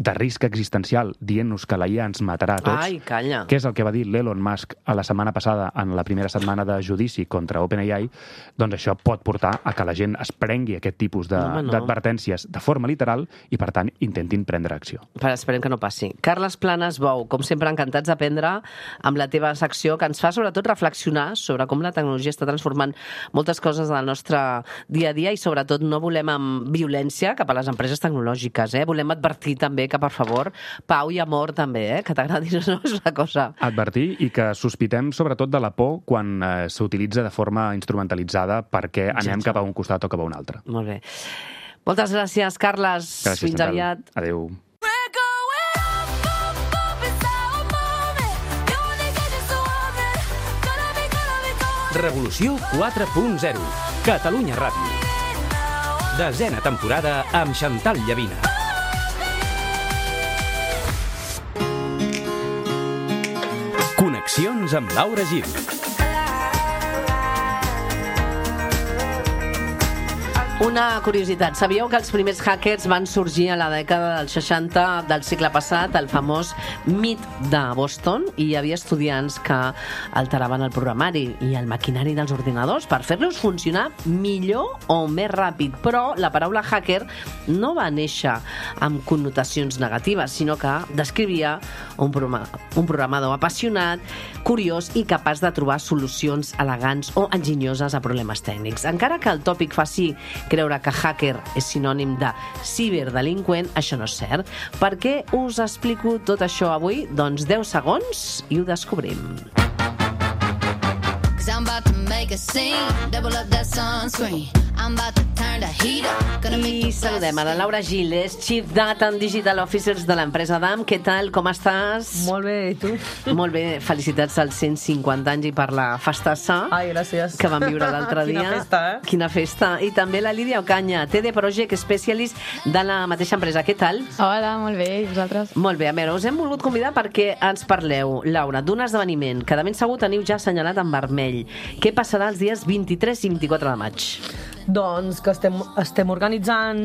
[SPEAKER 7] de risc existencial, dient-nos que la I A ens matarà a tots,
[SPEAKER 2] Ai, calla.
[SPEAKER 7] que és el que va dir l'Elon Musk a la setmana passada en la primera setmana de judici contra OpenAI, doncs això pot portar a que la gent es prengui aquest tipus de,
[SPEAKER 2] no, no.
[SPEAKER 7] d'advertències de forma literal i, per tant, intentin prendre acció.
[SPEAKER 2] Però esperem que no passi. Carles Planes Bou, com sempre, encantats d'aprendre amb la teva secció, que ens fa sobretot reflexionar sobre com la tecnologia està transformant moltes coses del nostre dia a dia i, sobretot, no volem amb violència cap a les empreses tecnològiques. Eh? Volem advertir també que, per favor, pau i amor també, eh? Que t'agradi, no és una cosa.
[SPEAKER 7] Advertir i que sospitem sobretot de la por quan eh, s'utilitza de forma instrumentalitzada perquè anem cap a un costat o cap a un altre.
[SPEAKER 2] Molt bé. Moltes gràcies, Carles.
[SPEAKER 7] Gràcies,
[SPEAKER 2] Fins
[SPEAKER 7] Chantal.
[SPEAKER 2] aviat.
[SPEAKER 7] Adéu.
[SPEAKER 1] Revolució quatre punt zero. Catalunya Ràdio. Desena temporada amb Chantal Llavina. Connexions amb Laura Gil.
[SPEAKER 2] Una curiositat, sabíeu que els primers hackers van sorgir a la dècada dels seixanta del segle passat, el famós mit de Boston, i hi havia estudiants que alteraven el programari i el maquinari dels ordinadors per fer-los funcionar millor o més ràpid. Però la paraula hacker no va néixer amb connotacions negatives, sinó que descrivia un, programa, un programador apassionat, curiós i capaç de trobar solucions elegants o enginyoses a problemes tècnics. Encara que el tòpic faci creure que hacker és sinònim de ciberdelinqüent, això no és cert. Per què us explico tot això avui? Doncs deu segons i ho descobrim. I saludem a la Laura Gil, és Chief Data and Digital Officers de l'empresa D A M. Què tal, com estàs?
[SPEAKER 8] Molt bé, i tu?
[SPEAKER 2] Molt bé, felicitats als cent cinquanta anys i per la festassa.
[SPEAKER 8] Ai, gràcies.
[SPEAKER 2] Que vam viure l'altre dia.
[SPEAKER 8] Quina festa, eh?
[SPEAKER 2] Quina festa. I també la Lídia Ocaña, T D Project Specialist de la mateixa empresa. Què tal?
[SPEAKER 9] Hola, molt bé, i vosaltres?
[SPEAKER 2] Molt bé, a veure, us hem volgut convidar perquè ens parleu, Laura, d'un esdeveniment que de ben segur teniu ja assenyalat en vermell. Què passarà els dies vint-i-tres i vint-i-quatre de maig?
[SPEAKER 8] Doncs que estem, estem organitzant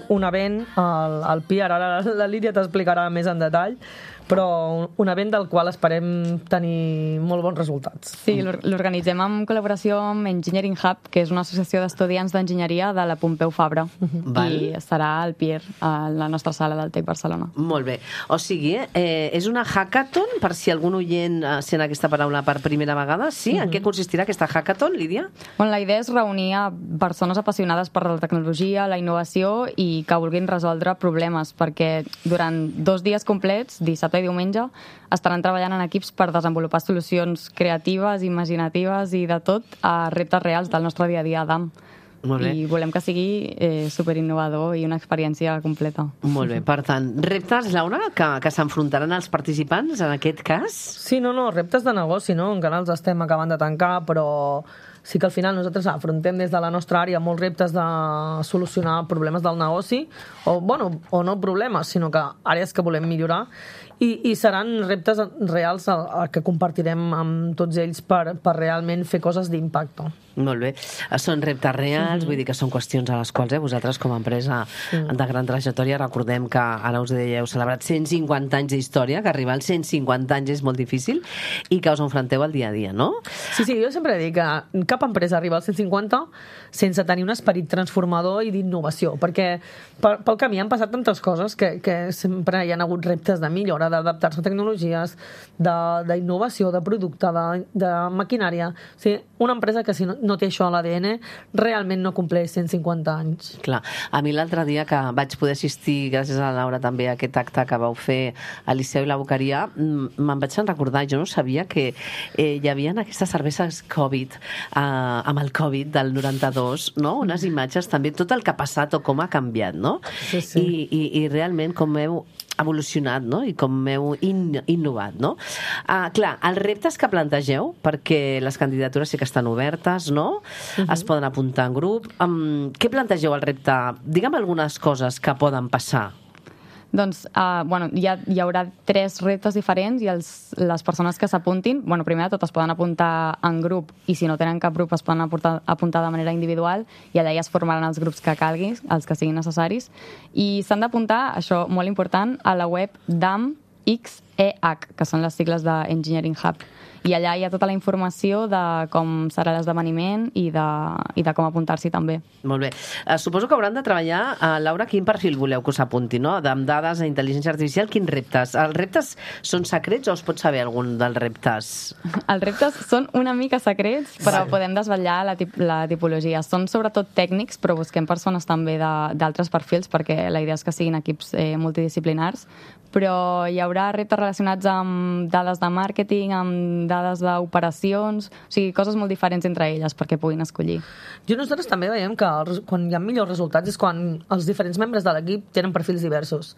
[SPEAKER 8] un event al, al P I A R, ara la Lídia t'explicarà més en detall, però un, un event del qual esperem tenir molt bons resultats.
[SPEAKER 9] Sí, l'organitzem en col·laboració amb Engineering Hub, que és una associació d'estudiants d'enginyeria de la Pompeu Fabra.
[SPEAKER 2] Val.
[SPEAKER 9] I estarà al P I A R, a la nostra sala del Tec Barcelona.
[SPEAKER 2] Molt bé. O sigui, eh, és una hackathon, per si algun oient eh, sent aquesta paraula per primera vegada. Sí? En què consistirà aquesta hackathon, Lídia?
[SPEAKER 9] Bueno, la idea és reunir a persones apassionades per la tecnologia, la innovació i que vulguin resoldre problemes, perquè durant dos dies complets, dissabte i diumenge, estaran treballant en equips per desenvolupar solucions creatives, imaginatives i de tot a reptes reals del nostre dia a dia a D A M.
[SPEAKER 2] Molt bé.
[SPEAKER 9] I volem que sigui eh, superinnovador i una experiència completa.
[SPEAKER 2] Molt bé, per tant, reptes, Laura, que, que s'enfrontaran els participants en aquest cas?
[SPEAKER 8] Sí, no, no, reptes de negoci, no? Encara els estem acabant de tancar, però sí que al final nosaltres afrontem des de la nostra àrea molts reptes de solucionar problemes del negoci, o, bueno, o no problemes, sinó que àrees que volem millorar, i, i seran reptes reals a, a que compartirem amb tots ells per, per realment fer coses d'impacte.
[SPEAKER 2] Molt bé. Són reptes reals, mm-hmm. vull dir que són qüestions a les quals eh, vosaltres com a empresa mm. de gran trajectòria, recordem que ara us deia, heu celebrat cent cinquanta anys d'història, que arribar als cent cinquanta anys és molt difícil i que us enfronteu al dia a dia, no?
[SPEAKER 8] Sí, sí, jo sempre dic que cap empresa arriba als cent cinquanta sense tenir un esperit transformador i d'innovació, perquè per, pel camí han passat tantes coses que, que sempre hi ha hagut reptes de millora, d'adaptar-se a tecnologies, d'innovació, de, de producte, de, de maquinària. O sigui, una empresa que si no, no té això a l'A D N realment no compleix cent cinquanta anys.
[SPEAKER 2] Clar, a mi l'altre dia que vaig poder assistir, gràcies a la Laura també, a aquest acte que vau fer a Liceu i la Boqueria, me'n vaig recordar, jo no sabia que eh, hi havia aquestes cerveses Covid, eh, amb el Covid del noranta-dos, no? Unes imatges també, tot el que ha passat o com ha canviat, no?
[SPEAKER 8] Sí, sí.
[SPEAKER 2] I, i, i realment com heu evolucionat, no? I com heu in, innovat, no? Uh, clar, els reptes que plantegeu, perquè les candidatures sí que estan obertes, no? Uh-huh. Es poden apuntar en grup. Um, què plantegeu al repte? Digue'm algunes coses que poden passar.
[SPEAKER 9] Doncs, uh, bueno, hi, ha, hi haurà tres reptes diferents i els, les persones que s'apuntin, bueno, primer de tot es poden apuntar en grup i si no tenen cap grup es poden apuntar, apuntar de manera individual i allà ja es formaran els grups que calguin, els que siguin necessaris. I s'han d'apuntar, això molt important, a la web D A M X E H, que són les sigles d'Engineering Hub. I allà hi ha tota la informació de com serà l'esdeveniment i, de, i de com apuntar-s'hi també.
[SPEAKER 2] Molt bé. Uh, suposo que hauran de treballar, uh, Laura, quin perfil voleu que us apunti, no? Amb dades, a intel·ligència artificial, quins reptes? Els reptes són secrets o es pot saber algun dels reptes?
[SPEAKER 9] Els reptes són una mica secrets, però sí. Podem desvetllar la, tip la tipologia. Són sobretot tècnics, però busquem persones també d'altres perfils, perquè la idea és que siguin equips eh, multidisciplinars, però hi haurà reptes relacionats amb dades de màrqueting, amb dades d'operacions, o sigui, coses molt diferents entre elles perquè puguin escollir.
[SPEAKER 8] Jo nosaltres també veiem que els, quan hi ha millors resultats és quan els diferents membres de l'equip tenen perfils diversos.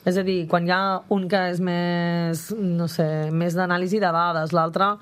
[SPEAKER 8] És a dir, quan hi ha un que és més, no sé, més d'anàlisi de dades, l'altre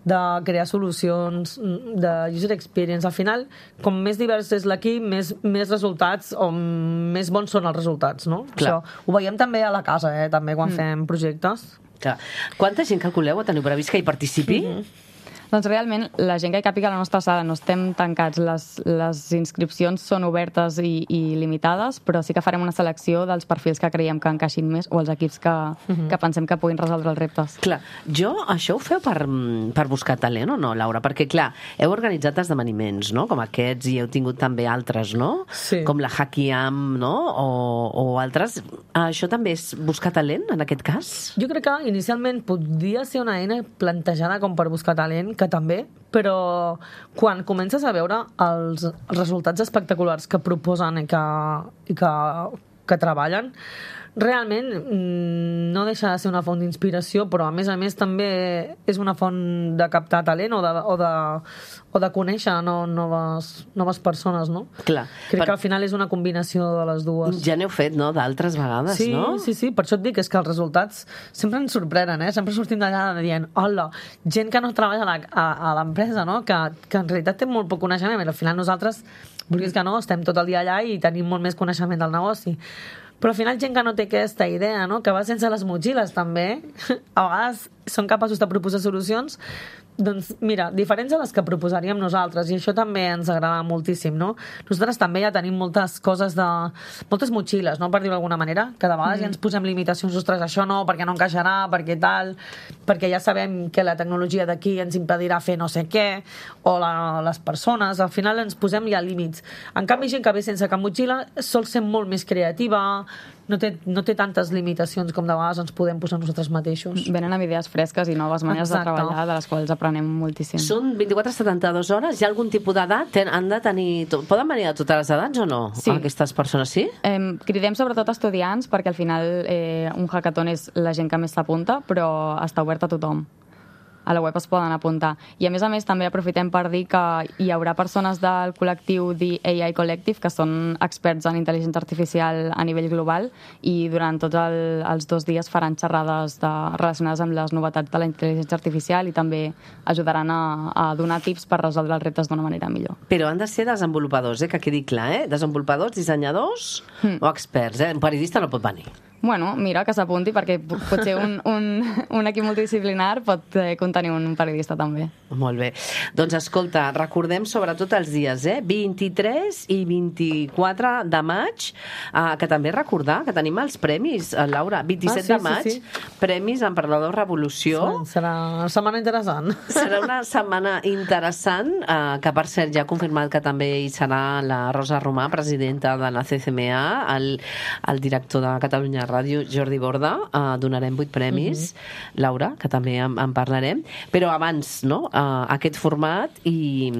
[SPEAKER 8] de crear solucions, de user experience. Al final, com més divers és l'equip, més, més resultats o més bons són els resultats, no?
[SPEAKER 2] Clar.
[SPEAKER 8] Això ho veiem també a la casa, eh? També quan mm. fem projectes.
[SPEAKER 2] Clar. Quanta gent calculeu teniu previst que hi participi?
[SPEAKER 9] Mm-hmm. Doncs realment, la gent que hi càpiga a la nostra sala no estem tancats. Les, les inscripcions són obertes i, i limitades, però sí que farem una selecció dels perfils que creiem que encaixin més o els equips que, uh-huh. que pensem que puguin resoldre els reptes.
[SPEAKER 2] Clar, jo, això ho feu per, per buscar talent o no, Laura? Perquè, clar, heu organitzat esdeveniments, no?, com aquests, i heu tingut també altres, no?
[SPEAKER 8] Sí.
[SPEAKER 2] Com la Hackiam, no?, o, o altres. Això també és buscar talent, en aquest cas?
[SPEAKER 8] Jo crec que inicialment podria ser una eina plantejada com per buscar talent, que també, però quan comences a veure els resultats espectaculars que proposen i que, i que, que treballen, realment no deixa de ser una font d'inspiració, però a més a més també és una font de captar talent o de, o de, o de conèixer no, noves, noves persones, no?
[SPEAKER 2] Clar.
[SPEAKER 8] Crec
[SPEAKER 2] per...
[SPEAKER 8] que al final és una combinació de les dues.
[SPEAKER 2] Ja n'heu fet, no?, d'altres vegades,
[SPEAKER 8] sí,
[SPEAKER 2] no?
[SPEAKER 8] Sí, sí, per això et dic, és que els resultats sempre ens sorprenen, eh? Sempre sortim d'allà dient, hola, gent que no treballa a, la, a, a l'empresa, no?, que, que en realitat té molt poc coneixement, i al final nosaltres, vulguis que no, estem tot el dia allà i tenim molt més coneixement del negoci. Però al final gent que no té aquesta idea, no?, que va sense les motxilles també, a vegades són capaços de proposar solucions, doncs mira, diferents a les que proposaríem nosaltres, i això també ens agrada moltíssim, no? Nosaltres també ja tenim moltes coses de... moltes motxilles, no?, per dir-ho d'alguna manera, que de vegades mm. ja ens posem limitacions, ostres, això no, perquè no encaixarà, perquè tal, perquè ja sabem que la tecnologia d'aquí ens impedirà fer no sé què, o la, les persones, al final ens posem ja límits. En canvi, gent que ve sense cap motxilla sol ser molt més creativa, no té, no té tantes limitacions com de vegades ens podem posar nosaltres mateixos.
[SPEAKER 9] Venen amb idees fresques i noves maneres Exacte. de treballar, de les quals aprenem moltíssim.
[SPEAKER 2] Són vint-i-quatre a setanta-dues hores? Hi ha algun tipus d'edat? Han de tenir... Poden venir de totes les edats o no?
[SPEAKER 9] Sí.
[SPEAKER 2] Aquestes persones, sí?
[SPEAKER 9] Eh, cridem sobretot estudiants, perquè al final eh, un hackathon és la gent que més s'apunta, però està obert a tothom. A la web es poden apuntar. I a més a més també aprofitem per dir que hi haurà persones del col·lectiu The A I Collective que són experts en intel·ligència artificial a nivell global i durant tots el, els dos dies faran xerrades de, relacionades amb les novetats de la intel·ligència artificial i també ajudaran a, a donar tips per resoldre els reptes d'una manera millor.
[SPEAKER 2] Però han de ser desenvolupadors, eh? Que quedi clar, eh? Desenvolupadors, dissenyadors hmm. o experts, eh? Un periodista no pot venir.
[SPEAKER 9] Bueno, mira, que s'apunti, perquè potser un, un, un equip multidisciplinar pot eh, contenir un periodista també.
[SPEAKER 2] Molt bé. Doncs escolta, recordem sobretot els dies, eh? vint-i-tres i vint-i-quatre de maig, eh, que també recordar que tenim els premis, eh, Laura, vint-i-set ah, sí, de maig, sí, sí. Premis Emprenedor Revolució.
[SPEAKER 8] Sí, serà una setmana interessant.
[SPEAKER 2] Serà una setmana interessant, eh, que per cert ja ha confirmat que també hi serà la Rosa Romà, presidenta de la C C M A, el, el director de Catalunya Ràdio, Jordi Borda, eh, donarem vuit premis, uh-huh. Laura, que també en, en parlarem, però abans, no?, eh, aquest format i,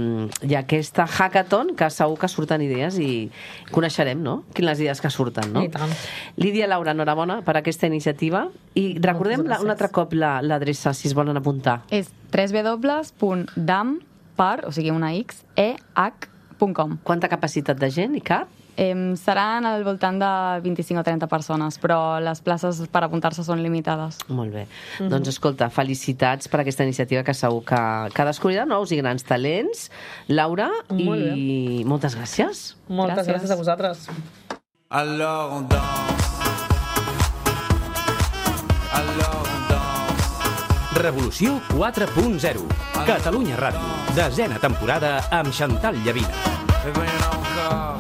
[SPEAKER 2] i aquesta hackathon, que segur que surten idees i coneixerem, no?, quines idees que surten, no?
[SPEAKER 8] I tant.
[SPEAKER 2] Lídia, Laura, enhorabona per aquesta iniciativa i recordem la, un altre cop la, l'adreça, si es volen apuntar.
[SPEAKER 9] És w w w punt dam per, o sigui, una x, e h punt com.
[SPEAKER 2] Quanta capacitat de gent i cap?
[SPEAKER 9] Eh, seran al voltant de vint-i-cinc o trenta persones, però les places per apuntar-se són limitades.
[SPEAKER 2] Molt bé. Mm-hmm. Doncs escolta, felicitats per aquesta iniciativa que segur que, que descobrirà nous i grans talents. Laura, Molt i bé. moltes gràcies.
[SPEAKER 8] Moltes gràcies, gràcies a vosaltres.
[SPEAKER 5] Alors on danse. Alors on danse.
[SPEAKER 1] Revolució quatre punt zero. Catalunya Ràdio. Desena temporada amb Chantal Llavina.
[SPEAKER 5] Et voyons encore.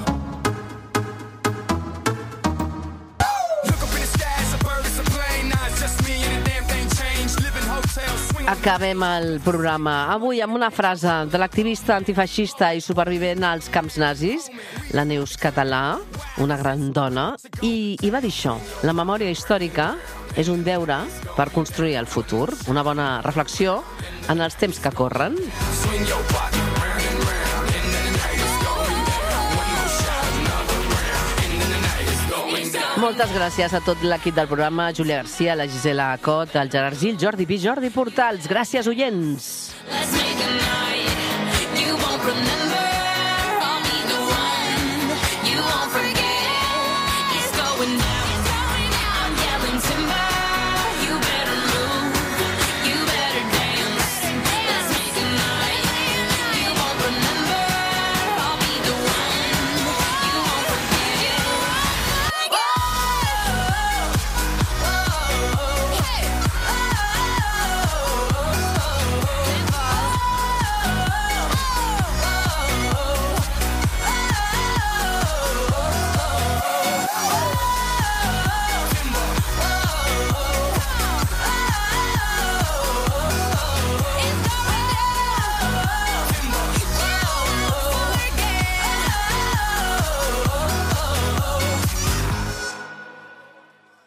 [SPEAKER 2] Acabem el programa avui amb una frase de l'activista antifeixista i supervivent als camps nazis, la Neus Català, una gran dona, i, i va dir això: la memòria històrica és un deure per construir el futur. Una bona reflexió en els temps que corren. Moltes gràcies a tot l'equip del programa, Júlia Garcia, la Gisela Cot, el Gerard Gil, Jordi Pi, Jordi Portals. Gràcies, oients. Let's make a night you won't remember. I'll be the one you won't forget. It's going down.